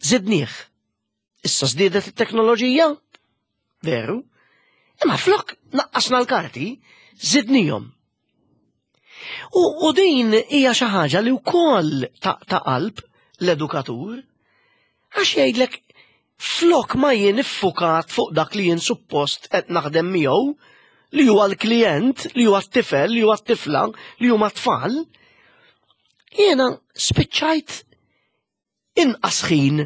żidnieh. Issa żdiedet it-teknoloġija, veru, imma flok naqqasna l-karti, żidnihom. U, u din hija xi ħaġa li wkoll ta' ta' qalb l-edukatur, għax jgħidlek, "Flok ma jien iffukat fuq dak li jien suppost qed naħdem miegħu, li huwa l-klient, li huwa t-tifel, li huwa t-tifla, li huma tfal, jiena spiċċajt inqas ħin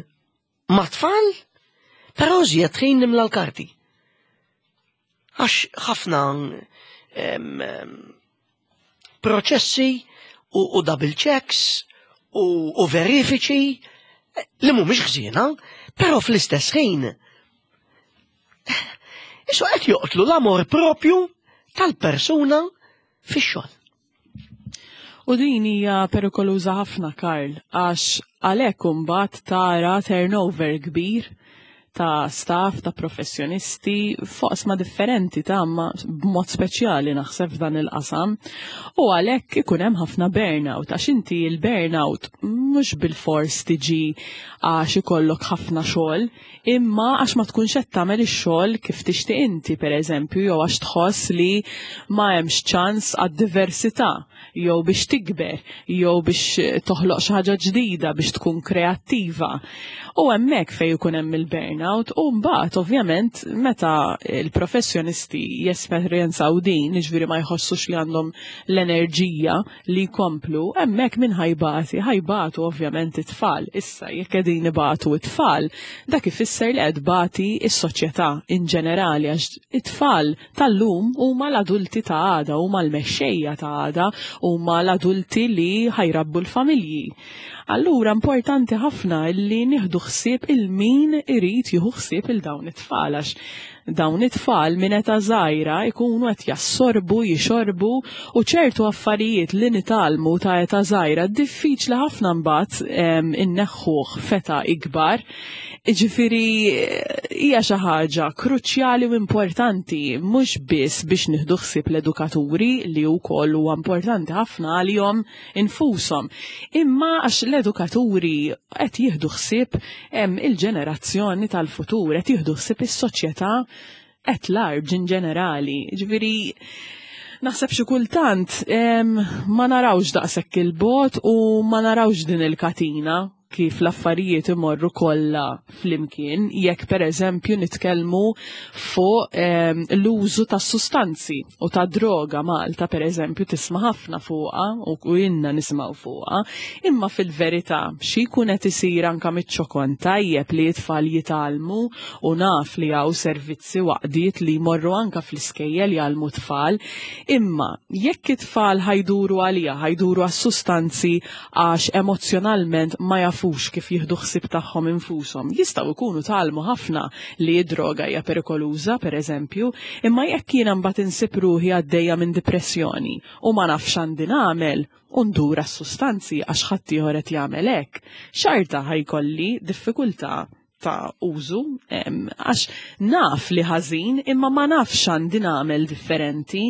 ma' tfal, però żjed ħin nimla l-karti." Għax ħafna proċessi u, u double checks u, u verifiċi li mhumiex ħżiena, però fl-istess ħin Isu qed joqtlu l-amor propju tal-persuna fix-xogħol. U din hija perikoluża ħafna, Karl, għax għalhekk imbagħad tara turnover kbir ta' staff, ta' professjonisti, f'oqsma differenti ta' ma b'mod speċjali naħseb f'dan il-qasam. U għalhekk ikun hemm ħafna burnout, għax inti il-burnout mhux bil-fors tiġi għax ikollok ħafna xogħol, imma għax ma tkunx qed tagħmel ix-xogħol kif tixtieq inti, pereżempju, jew għax tħoss li ma hemmx ċans għad-diversità, jew biex tikber, jew biex toħloq xi ħaġa ġdida, biex tkun kreattiva. U hemmhekk fejn ikun hemm il-burnout, u mbagħad ovvjament meta il-professjonisti jesperjenzaw din, jiġifieri ma jħossux li għandhom l-enerġija li jkomplu, hemmhekk min ħa jbati? Ħa jbatu ovvjament it-tfal. Issa jekk qegħdin ibatu it-tfal, dak ifisser li qed tbati is-soċjetà in ġenerali, għax it-tfal tal-lum huma l-adulti ta' għada, huma l-mexxejja ta' għada, huma l-adulti li ħa jrabbu l-familji. Allura importanti ħafna li nieħdu ħsieb il-min irid jieħu ħsieb il dawn it-tfal, għax dawn it-tfal minn età żgħira jkunu qed jassorbu, jixorbu, u ċertu affarijiet li nitgħallmu ta' età żgħira diffiċli ħafna mbagħad inneħħuh f'età ikbar. Ġifieri hija xi ħaġa kruċjali u importanti mhux biss biex nieħdu ħsieb l-edukaturi li wkoll huwa importanti ħafna għalihom infushom, imma għax l-edukaturi qed jieħdu ħsieb il-ġenerazzjoni tal-futur, qed jieħdu ħsieb is-soċjetà at large in ġenerali. Ġifieri naħseb xi kultant ma narawx daqshekk il-bogħod u ma narawx din il-katina kif l-affarijiet imorru kollha flimkien, jekk pereżempju nitkellmu fuq l-użu ta' sustanzi u ta' droga. Malta pereżempju tisma' ħafna fuqha u inna nismgħu fuqha, imma fil-verità xi jkun qed isir anke miċ-ċokon tajjeb li t-tfal jitgħallmu, u naf li hawn servizzi waqdiet li jmorru anke fl-iskejjel jgħallmu tfal, imma jekk it-tfal ħa jduru għalija, ħa jduru għas-sustanzi għax emozzjonalment ma jafux kif jieħdu ħsieb tagħhom infushom. Jistgħu jkunu tgħallmu ħafna li d-droga hija perikoluża, pereżempju, imma jekk jiena mbagħad insib ruħi għaddejja minn depressjoni u ma nafx għandi nagħmel u ndur għas-sustanzi għax ħaddieħor qed jagħmel hekk, xorta ħa jkolli diffikultà ta' użu, għax naf li ħażin imma ma nafx għandi nagħmel differenti,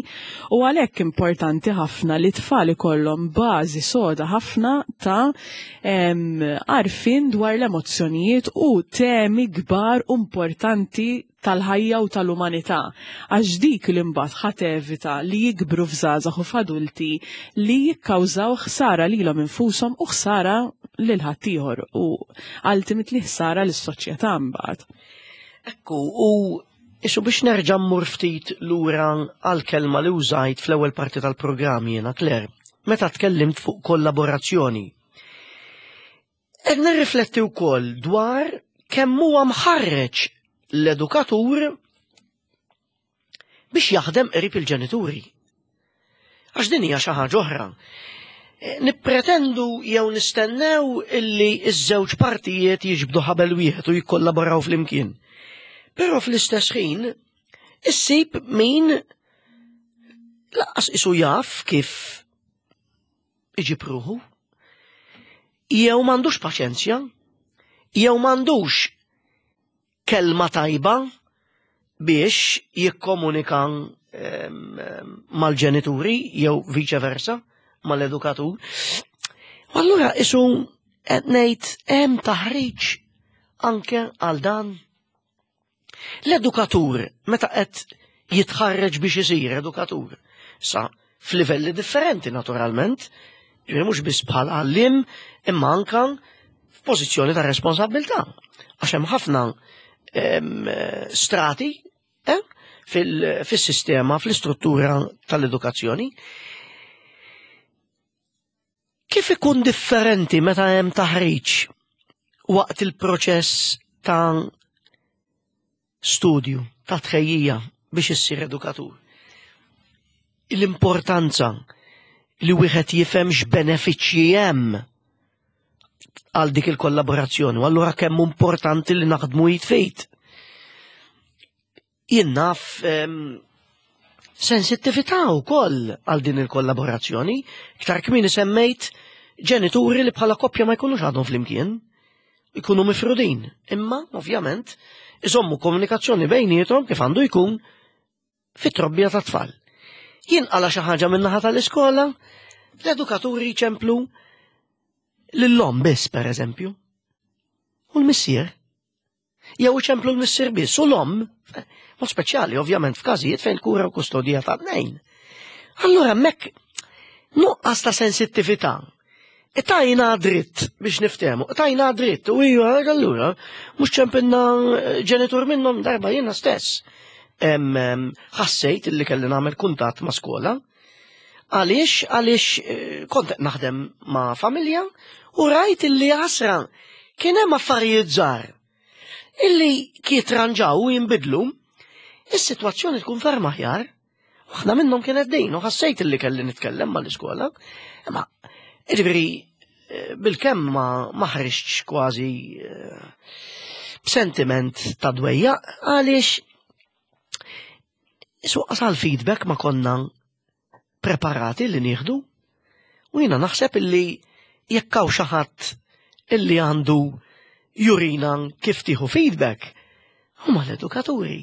u għalhekk importanti ħafna li tfal ikollhom bażi soda ħafna ta' għarfien dwar l-emozzjonijiet u temi kbar u importanti tal-ħajja u tal-umanità, għax dik li mbagħad ħa tevita li jikbru f'żgħażagħ u f'adulti li jikkawżaw ħsara lilhom infushom u ħsara lil ħaddieħor u ultimately ħsara lis-soċjetà mbagħad. Ekku, u isu biex nerġa' mmur ftit lura għal-kelma li użajt fl-ewwel parti tal-programm jiena, Claire, meta tkellimt fuq kollaborazzjoni. Qed nirrifletti wkoll dwar kemm huwa mħarreġ l-edukatur biex jaħdem qrib il-ġenituri. Għax din hija xi ħaġa oħra. Nippretendu jew nistennew illi iż-żewġ partijiet jiġbdu ħabel wieħed u jikkollaboraw flimkien. Però fl-istess ħin issib min lanqas isu jaf kif iġib ruħu, jew m'għandux paċenzja, jew m'għandux kelma tajba biex jikkomunika mal-ġenituri jew vice versa mal-edukatur. U allura isu qed ngħid hemm taħriġ anke għal dan. L-edukatur meta qed jitħarreġ biex isir edukatur, sa f'livelli differenti naturalment, ġifieri mhux biss bħala għallim imma anke f'pożizzjoni ta' responsabilità. Għax hemm ħafna strati eh, fil-sistema, fl-istruttura tal-edukazzjoni. Kif ikun differenti meta hemm taħriġ waqt il-proċess ta' studju, ta' tħejjija biex issir edukatur? L-importanza li wieħed jifhem x'benefiċċji hemm għal dik il-kollaborazzjoni, u allura kemm importanti li naħdmu id f'id. Jien naf sensittività wkoll għal din il-kollaborazzjoni. Iktar kmieni semmejt ġenituri li bħala koppja ma jkunux għadhom flimkien, ikunu mifrudin, imma ovvjament iżommu komunikazzjoni bejniethom kif għandu jkun fit-trobbija ta' tfal. Jinqala xi ħaġa min-naħa tal-iskola, l-edukaturi jċemplu lill-omm biss, per eżempju, u l-missier. Jew iċemplu l-missier biss u l-omm, mod speċjali ovvjament f'każijiet fejn kura u kustodija ta' tnejn. Allura hemmhekk nuqqas ta' sensittività. Tajna dritt biex niftehmu, tajna dritt, u hija allura mhux ċempilna ġenitur minnhom darba jiena stess. Ħassejt illi kelli nagħmel kuntatt ma' skola. Għaliex, għaliex eh, kont qed naħdem ma' familja u rajt illi għasra kien hemm affarijiet żgħar illi kitranġaw u jinbidlu, is-sitwazzjoni tkun ferm aħjar. Waħda minnhom kienet din u ħassejt illi kelli nitkellem mal-iskola. Imma jiġifieri eh, bilkemm ma ma ħriġtx kważi eh, b'sentiment ta' dwejja għaliex Suqqas għal feedback ma konna preparati li nieħdu. U jiena naħseb illi jekk hawn xi ħadd illi għandu jurina kif tieħu feedback huma l-edukaturi.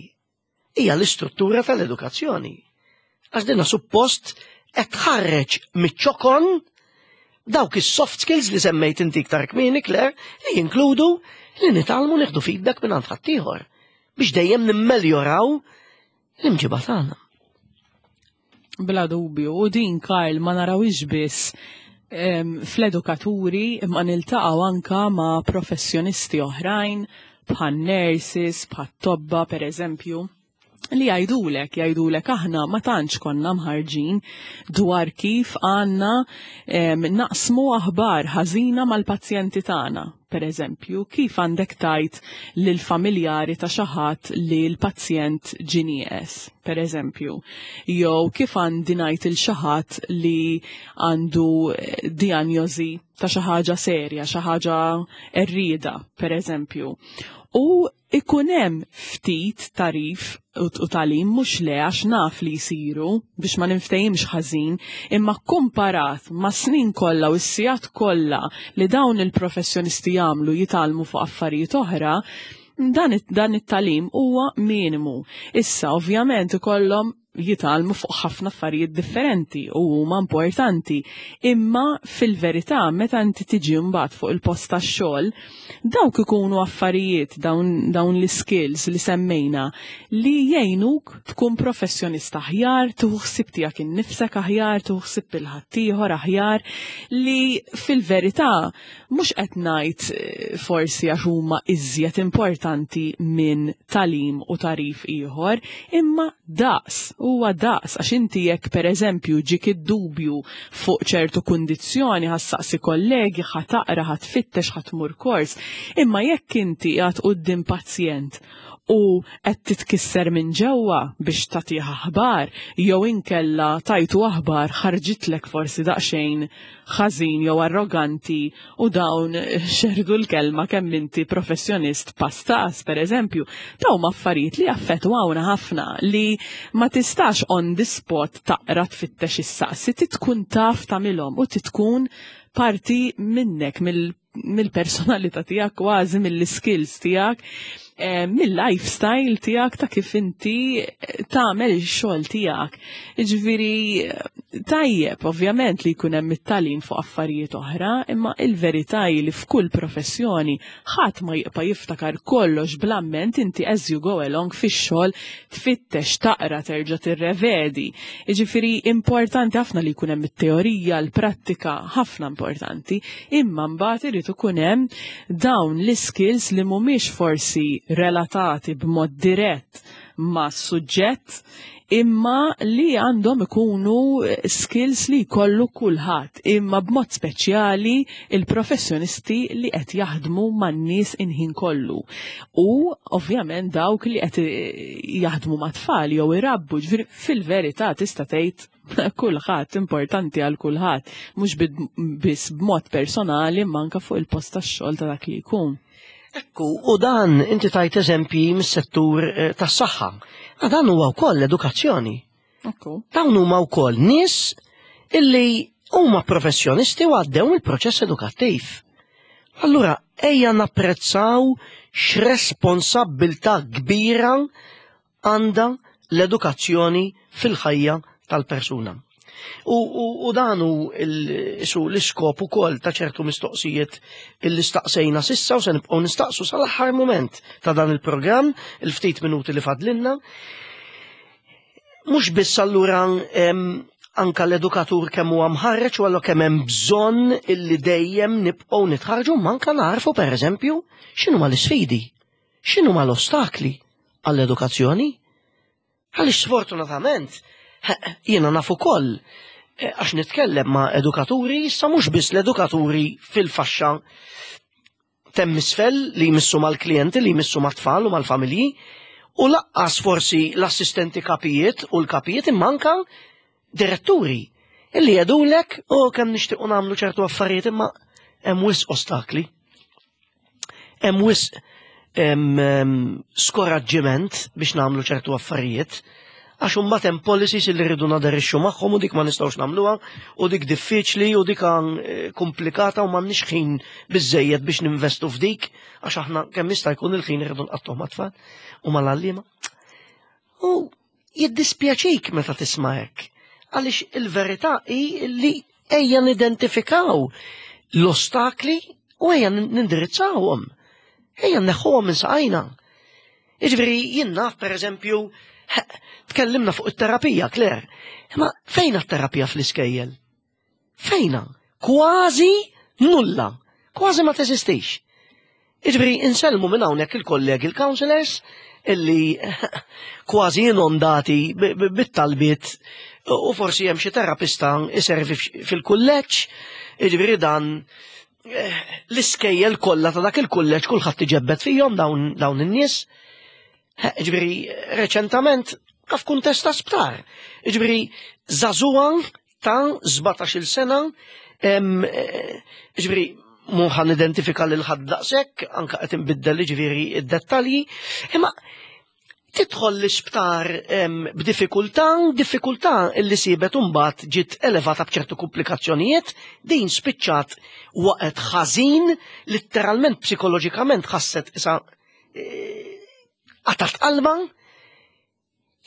Hija l-istruttura tal-edukazzjoni. Għax dinna suppost qed tħarreġ miċ-ċokon dawk is-soft skills li semmejt inti iktar kmieni, Claire, li jinkludu li nitgħallmu nieħdu feedback minn għand ħaddieħor biex dejjem nimmeljoraw l-imġiba tagħna. Bla dubju, u din, Karl, ma narawix biss em, fl-edukaturi, imma niltaqgħu anka ma' professjonisti oħrajn bħal nurses, bħal tobba per eżempju, li jgħidulek, jgħidulek aħna ma tantx konna mħarġin dwar kif għandna em, naqsmu aħbar ħażina mal-pazjenti tagħna. Per eżempju, kif għandek tgħid lill-familjari ta' xi ħadd li l-pazjent ġie nieqes, per eżempju, jew kif għandi ngħid il xi ħadd li għandu eh, diagnosi ta' xi ħaġa serja, xi ħaġa errida, per eżempju. U ikun hemm ftit tagħrif u u tagħlim, mhux le, għax naf li jsiru, biex ma ninftehimx ħażin, imma komparat ma' snin kollha u s-sigħat kollha li dawn il-professjonisti jagħmlu jitgħallmu fuq affarijiet oħra, dan it- dan it-tagħlim huwa minimu. Issa ovvjament ikollhom jitgħallmu fuq ħafna affarijiet differenti u huma importanti. Imma fil-verità, meta inti tiġi mbagħad fuq il-post tax-xogħol, dawk ikunu affarijiet, dawn, dawn l-skills li semmejna, li jgħinuk tkun professjonista aħjar, tieħu ħsieb tiegħek innifsek aħjar, tieħu ħsieb il-ħaddieħor aħjar, li fil-verità mhux qed ngħid eh, forsi għax huma iżjed importanti minn tagħlim u tagħrif ieħor, imma daqs, huwa daqs, għax inti jekk pereżempju ġik id-dubju fuq ċertu kundizzjoni, ħa ssaqsi kollegi, ħa taqra, ħa tfittex, ħa tmur kors, imma jekk inti qiegħed quddiem pazjent u qed titkisser minn ġewwa biex tagħtih aħbar, jew inkella tajtu aħbar ħarġitlek forsi daqsxejn ħażin jew arroganti u dawn xerdu l-kelma kemm inti professjonist pastas, per eżempju, dawn affarijiet li affettwawna ħafna, li ma tistax on the spot taqra, tfittex, issaqsi, tkun taf tagħmilhom u tkun parti minnek, mill mill-personalità tiegħek kważi, mill-skills tiegħek, eh, mill-lifestyle tiegħek ta' kif inti eh, tagħmel ix-xogħol tiegħek. Jiġifieri eh, tajjeb ovvjament li jkun hemm it-tagħlim fuq affarijiet oħra, imma il-verità hi li f'kull professjoni ħadd ma jibqa' jiftakar kollox bl-amment. Inti as you go along fix-xogħol tfittex, taqra, terġa' tirrevedi. Jiġifieri importanti ħafna li jkun hemm it-teorija, l-prattika, ħafna importanti, imma mbagħad irid ikun hemm dawn l-skills li mhumiex forsi relatati b'mod dirett ma' suġġett, imma li għandhom ikunu skills li jkollu kulħadd, imma b'mod speċjali il-professjonisti li qed jaħdmu man-nies il-ħin kollu. U ovvjament dawk li qed jaħdmu ma' tfal jew irabbu, ġifieri fil-verità tista' tgħid kulħadd, importanti għal kulħadd, mhux biss b'mod personali imma anke fuq il-post tax-xogħol ta' dak li jkun. Ekku, u dan inti tajt eżempji mis-settur eh, tas-saħħa. Ma dan huwa wkoll l-edukazzjoni. Ekku. Dawn huma wkoll nies illi huma professjonisti u għaddew il-proċess edukattiv. Allura, ejja napprezzaw x'responsabbiltà kbira għandha l-edukazzjoni fil-ħajja tal-persuna. U, u, u dan hu il- su l-iskop ukoll ta' ċertu mistoqsijiet illi staqsejna s'issa u se nibqgħu nistaqsu sal-aħħar moment ta' dan il-programm, il-ftit minuti li fadlinna. Mhux biss allura em, anka l-edukatur kemm huwa mħarreġ u allura kemm hemm bżonn illi dejjem nibqgħu nitħarġu, ma anka narfu, pereżempju, x'inhuma l-isfidi, x'inhuma l-ostakli għall-edukazzjoni. Għaliex sfortunatament jiena naf ukoll eh, għax nitkellem ma' edukaturi, issa mhux biss l-edukaturi fil-faxxa t'hemm isfel li jmissu mal-klijenti, li jmissu mat-tfal u mal-familji, u lanqas forsi l-assistenti kapijiet u l-kapijiet, imma anka diretturi illi jgħidulek: "U kemm nixtiequ nagħmlu ċertu affarijiet, imma hemm wisq ostakli. Hemm wisq em, em, skoraġġiment biex nagħmlu ċertu affarijiet." Għax imbagħad hemm policies li rridu naderixxu magħhom u dik ma nistgħux nagħmluha u dik diffiċli u dik eh, komplikata u m'għandniex ħin biżejjed biex ninvestu f'dik għax aħna kemm jista' jkun il-ħin irridu nqattuh mat-tfal u mal-għalliema. U jiddispjaċik meta tisma' hekk. Għaliex il-verità hi li ejja nidentifikaw l-ostakli u ejja nindirizzawhom. Ejja nneħħuhom minn saqajna. Jiġifieri jien naf pereżempju tkellimna fuq it-terapija, Claire. Ma fejna t-terapija fl-iskejjel? Fejna? Kważi nulla. Kważi ma teżistix. Jiġifieri insellmu minn hawnhekk il-kollegi il-counselors illi kważi inondati bit-talbiet u forsi hemm xi terapista iservi fil-kulleġġ, jiġifieri dan eh, l-iskejjel kollha ta' dak il-kulleġġ kulħadd iġebbed fihom dawn dawn in-nies. Jiġifieri reċentament kaf kuntest ta' sptar. Jiġifieri żagħżugħa ta' sbatax-il sena, eh, jiġifieri mhu ħa nidentifika lil ħadd daqshekk, anke qed inbiddel jiġifieri id-dettalji, imma tidħol l-isptar b'diffikultà, diffikultà illi sibet imbagħad ġiet elevata b'ċertu komplikazzjonijiet, din spiċċat waqgħet ħażin, letteralment psikoloġikament ħasset isa eh, qatat qalba,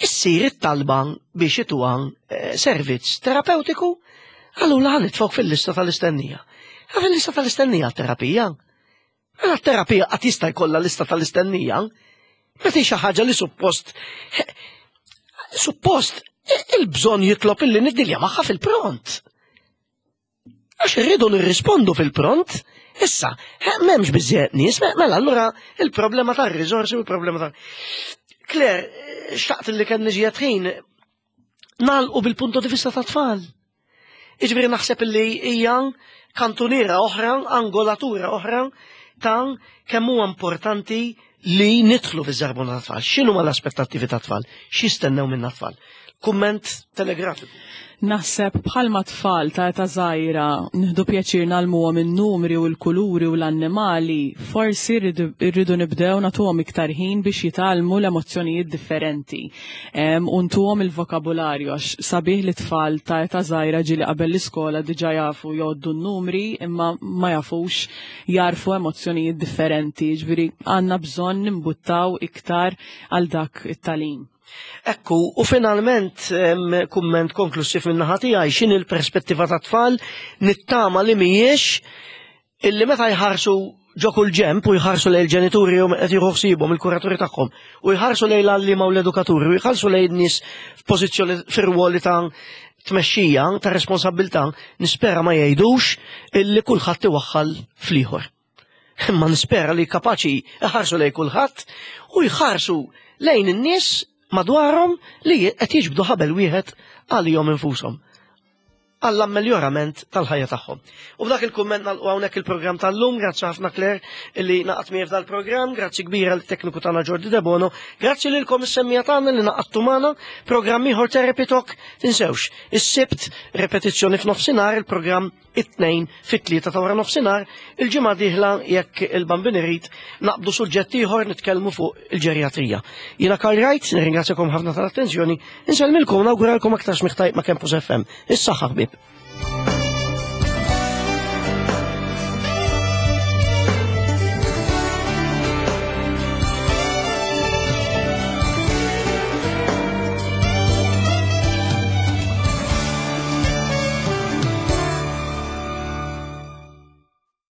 issir it-talba biex ituha eh, servizz terapeutiku, allura ħa nitfgħuk fil-lista tal-istennija. Fil-lista tal-istennija terapija. Mela terapija qatt jista' jkollha lista tal-istennija. Meta xi ħaġa li suppost suppost il-bżonn jitlob illi niddilja magħha fil-pront. Għax irridu nirrispondu fil-pront, issa, m'hemmx biżejjed nies, mela allura il-problema tar-riżorsi u il-problema ta' Claire, xtaqt li kien niġi ħin nagħlqu bil-punto di vista ta' tfal. Jiġifieri naħseb illi hija kantuniera oħra, angolatura oħra ta' kemm huwa importanti li nidħlu fiż-żarbuna ta' tfal. X'inhu l-aspettattivi ta' tfal? X'jistennew minna tfal? Kumment telegrafiku. Naħseb bħalma tfal ta' età żgħira nieħdu pjaċir ngħallmuhom in-numri u l-kuluri u l-annimali, forsi rridu nibdew nagħtuhom iktar ħin biex jitgħallmu l-emozzjonijiet differenti. U ntuhom il-vokabularju għax sabiħ li tfal ta' età żgħira ġieli qabel l-iskola diġà jafu jgħoddu n-numri imma ma jafux jarfu emozzjonijiet differenti. Ġifieri għandna bżonn nimbuttaw iktar għal dak it-tagħlim. Ekku, u finalment kumment konklusiv minn naħa tiegħi x'inhi l-perspettiva ta' tfal nittama li mhijiex illi meta jħarsu ġo kull ġemp u jħarsu lejn il-ġenituri u qed jieħu ħsiebhom il-kuraturi tagħhom u jħarsu lejn l-għalliema u l-edukaturi u jħarsu lejn nies f'pożizzjoni fir-ruoli ta' tmexxija ta' responsabbiltà, nispera ma jgħidux illi kulħadd iwaħħal fl-ieħor. Imma nispera li kapaċi jħarsu lejn kulħadd u jħarsu lejn in-nies madwarhom li qed jiġbdu ħabel wieħed għalihom infushom għall-ammeliorament tal-ħajja tagħhom. U b'dak il-kumment nagħlqu hawnhekk il-programm tal-lum, grazzi ħafna Claire illi ngħaqadt miegħi f'dal-programm, grazzi kbira lit-tekniku tagħna Jordi Debono, grazzi lilkom is-semmiegħa tagħna li ngħaqadtu magħna, programm ieħor Therapy Talk, tinsewx, is-Sibt repetizzjoni f'nofsinhar, il-programm it-tnejn fit-tlieta ta' wara nofsinhar, il-ġimgħa dieħla jekk il-Bambin irid naqbdu suġġett ieħor nitkellmu fuq il-ġerjatrija. Jiena Karl Wright, nirringrazzjakom ħafna tal-attenzjoni, insellmilkom nawguralkom aktar smigħ tajjeb ma' Campus F M. Is-saħħa ħbieb.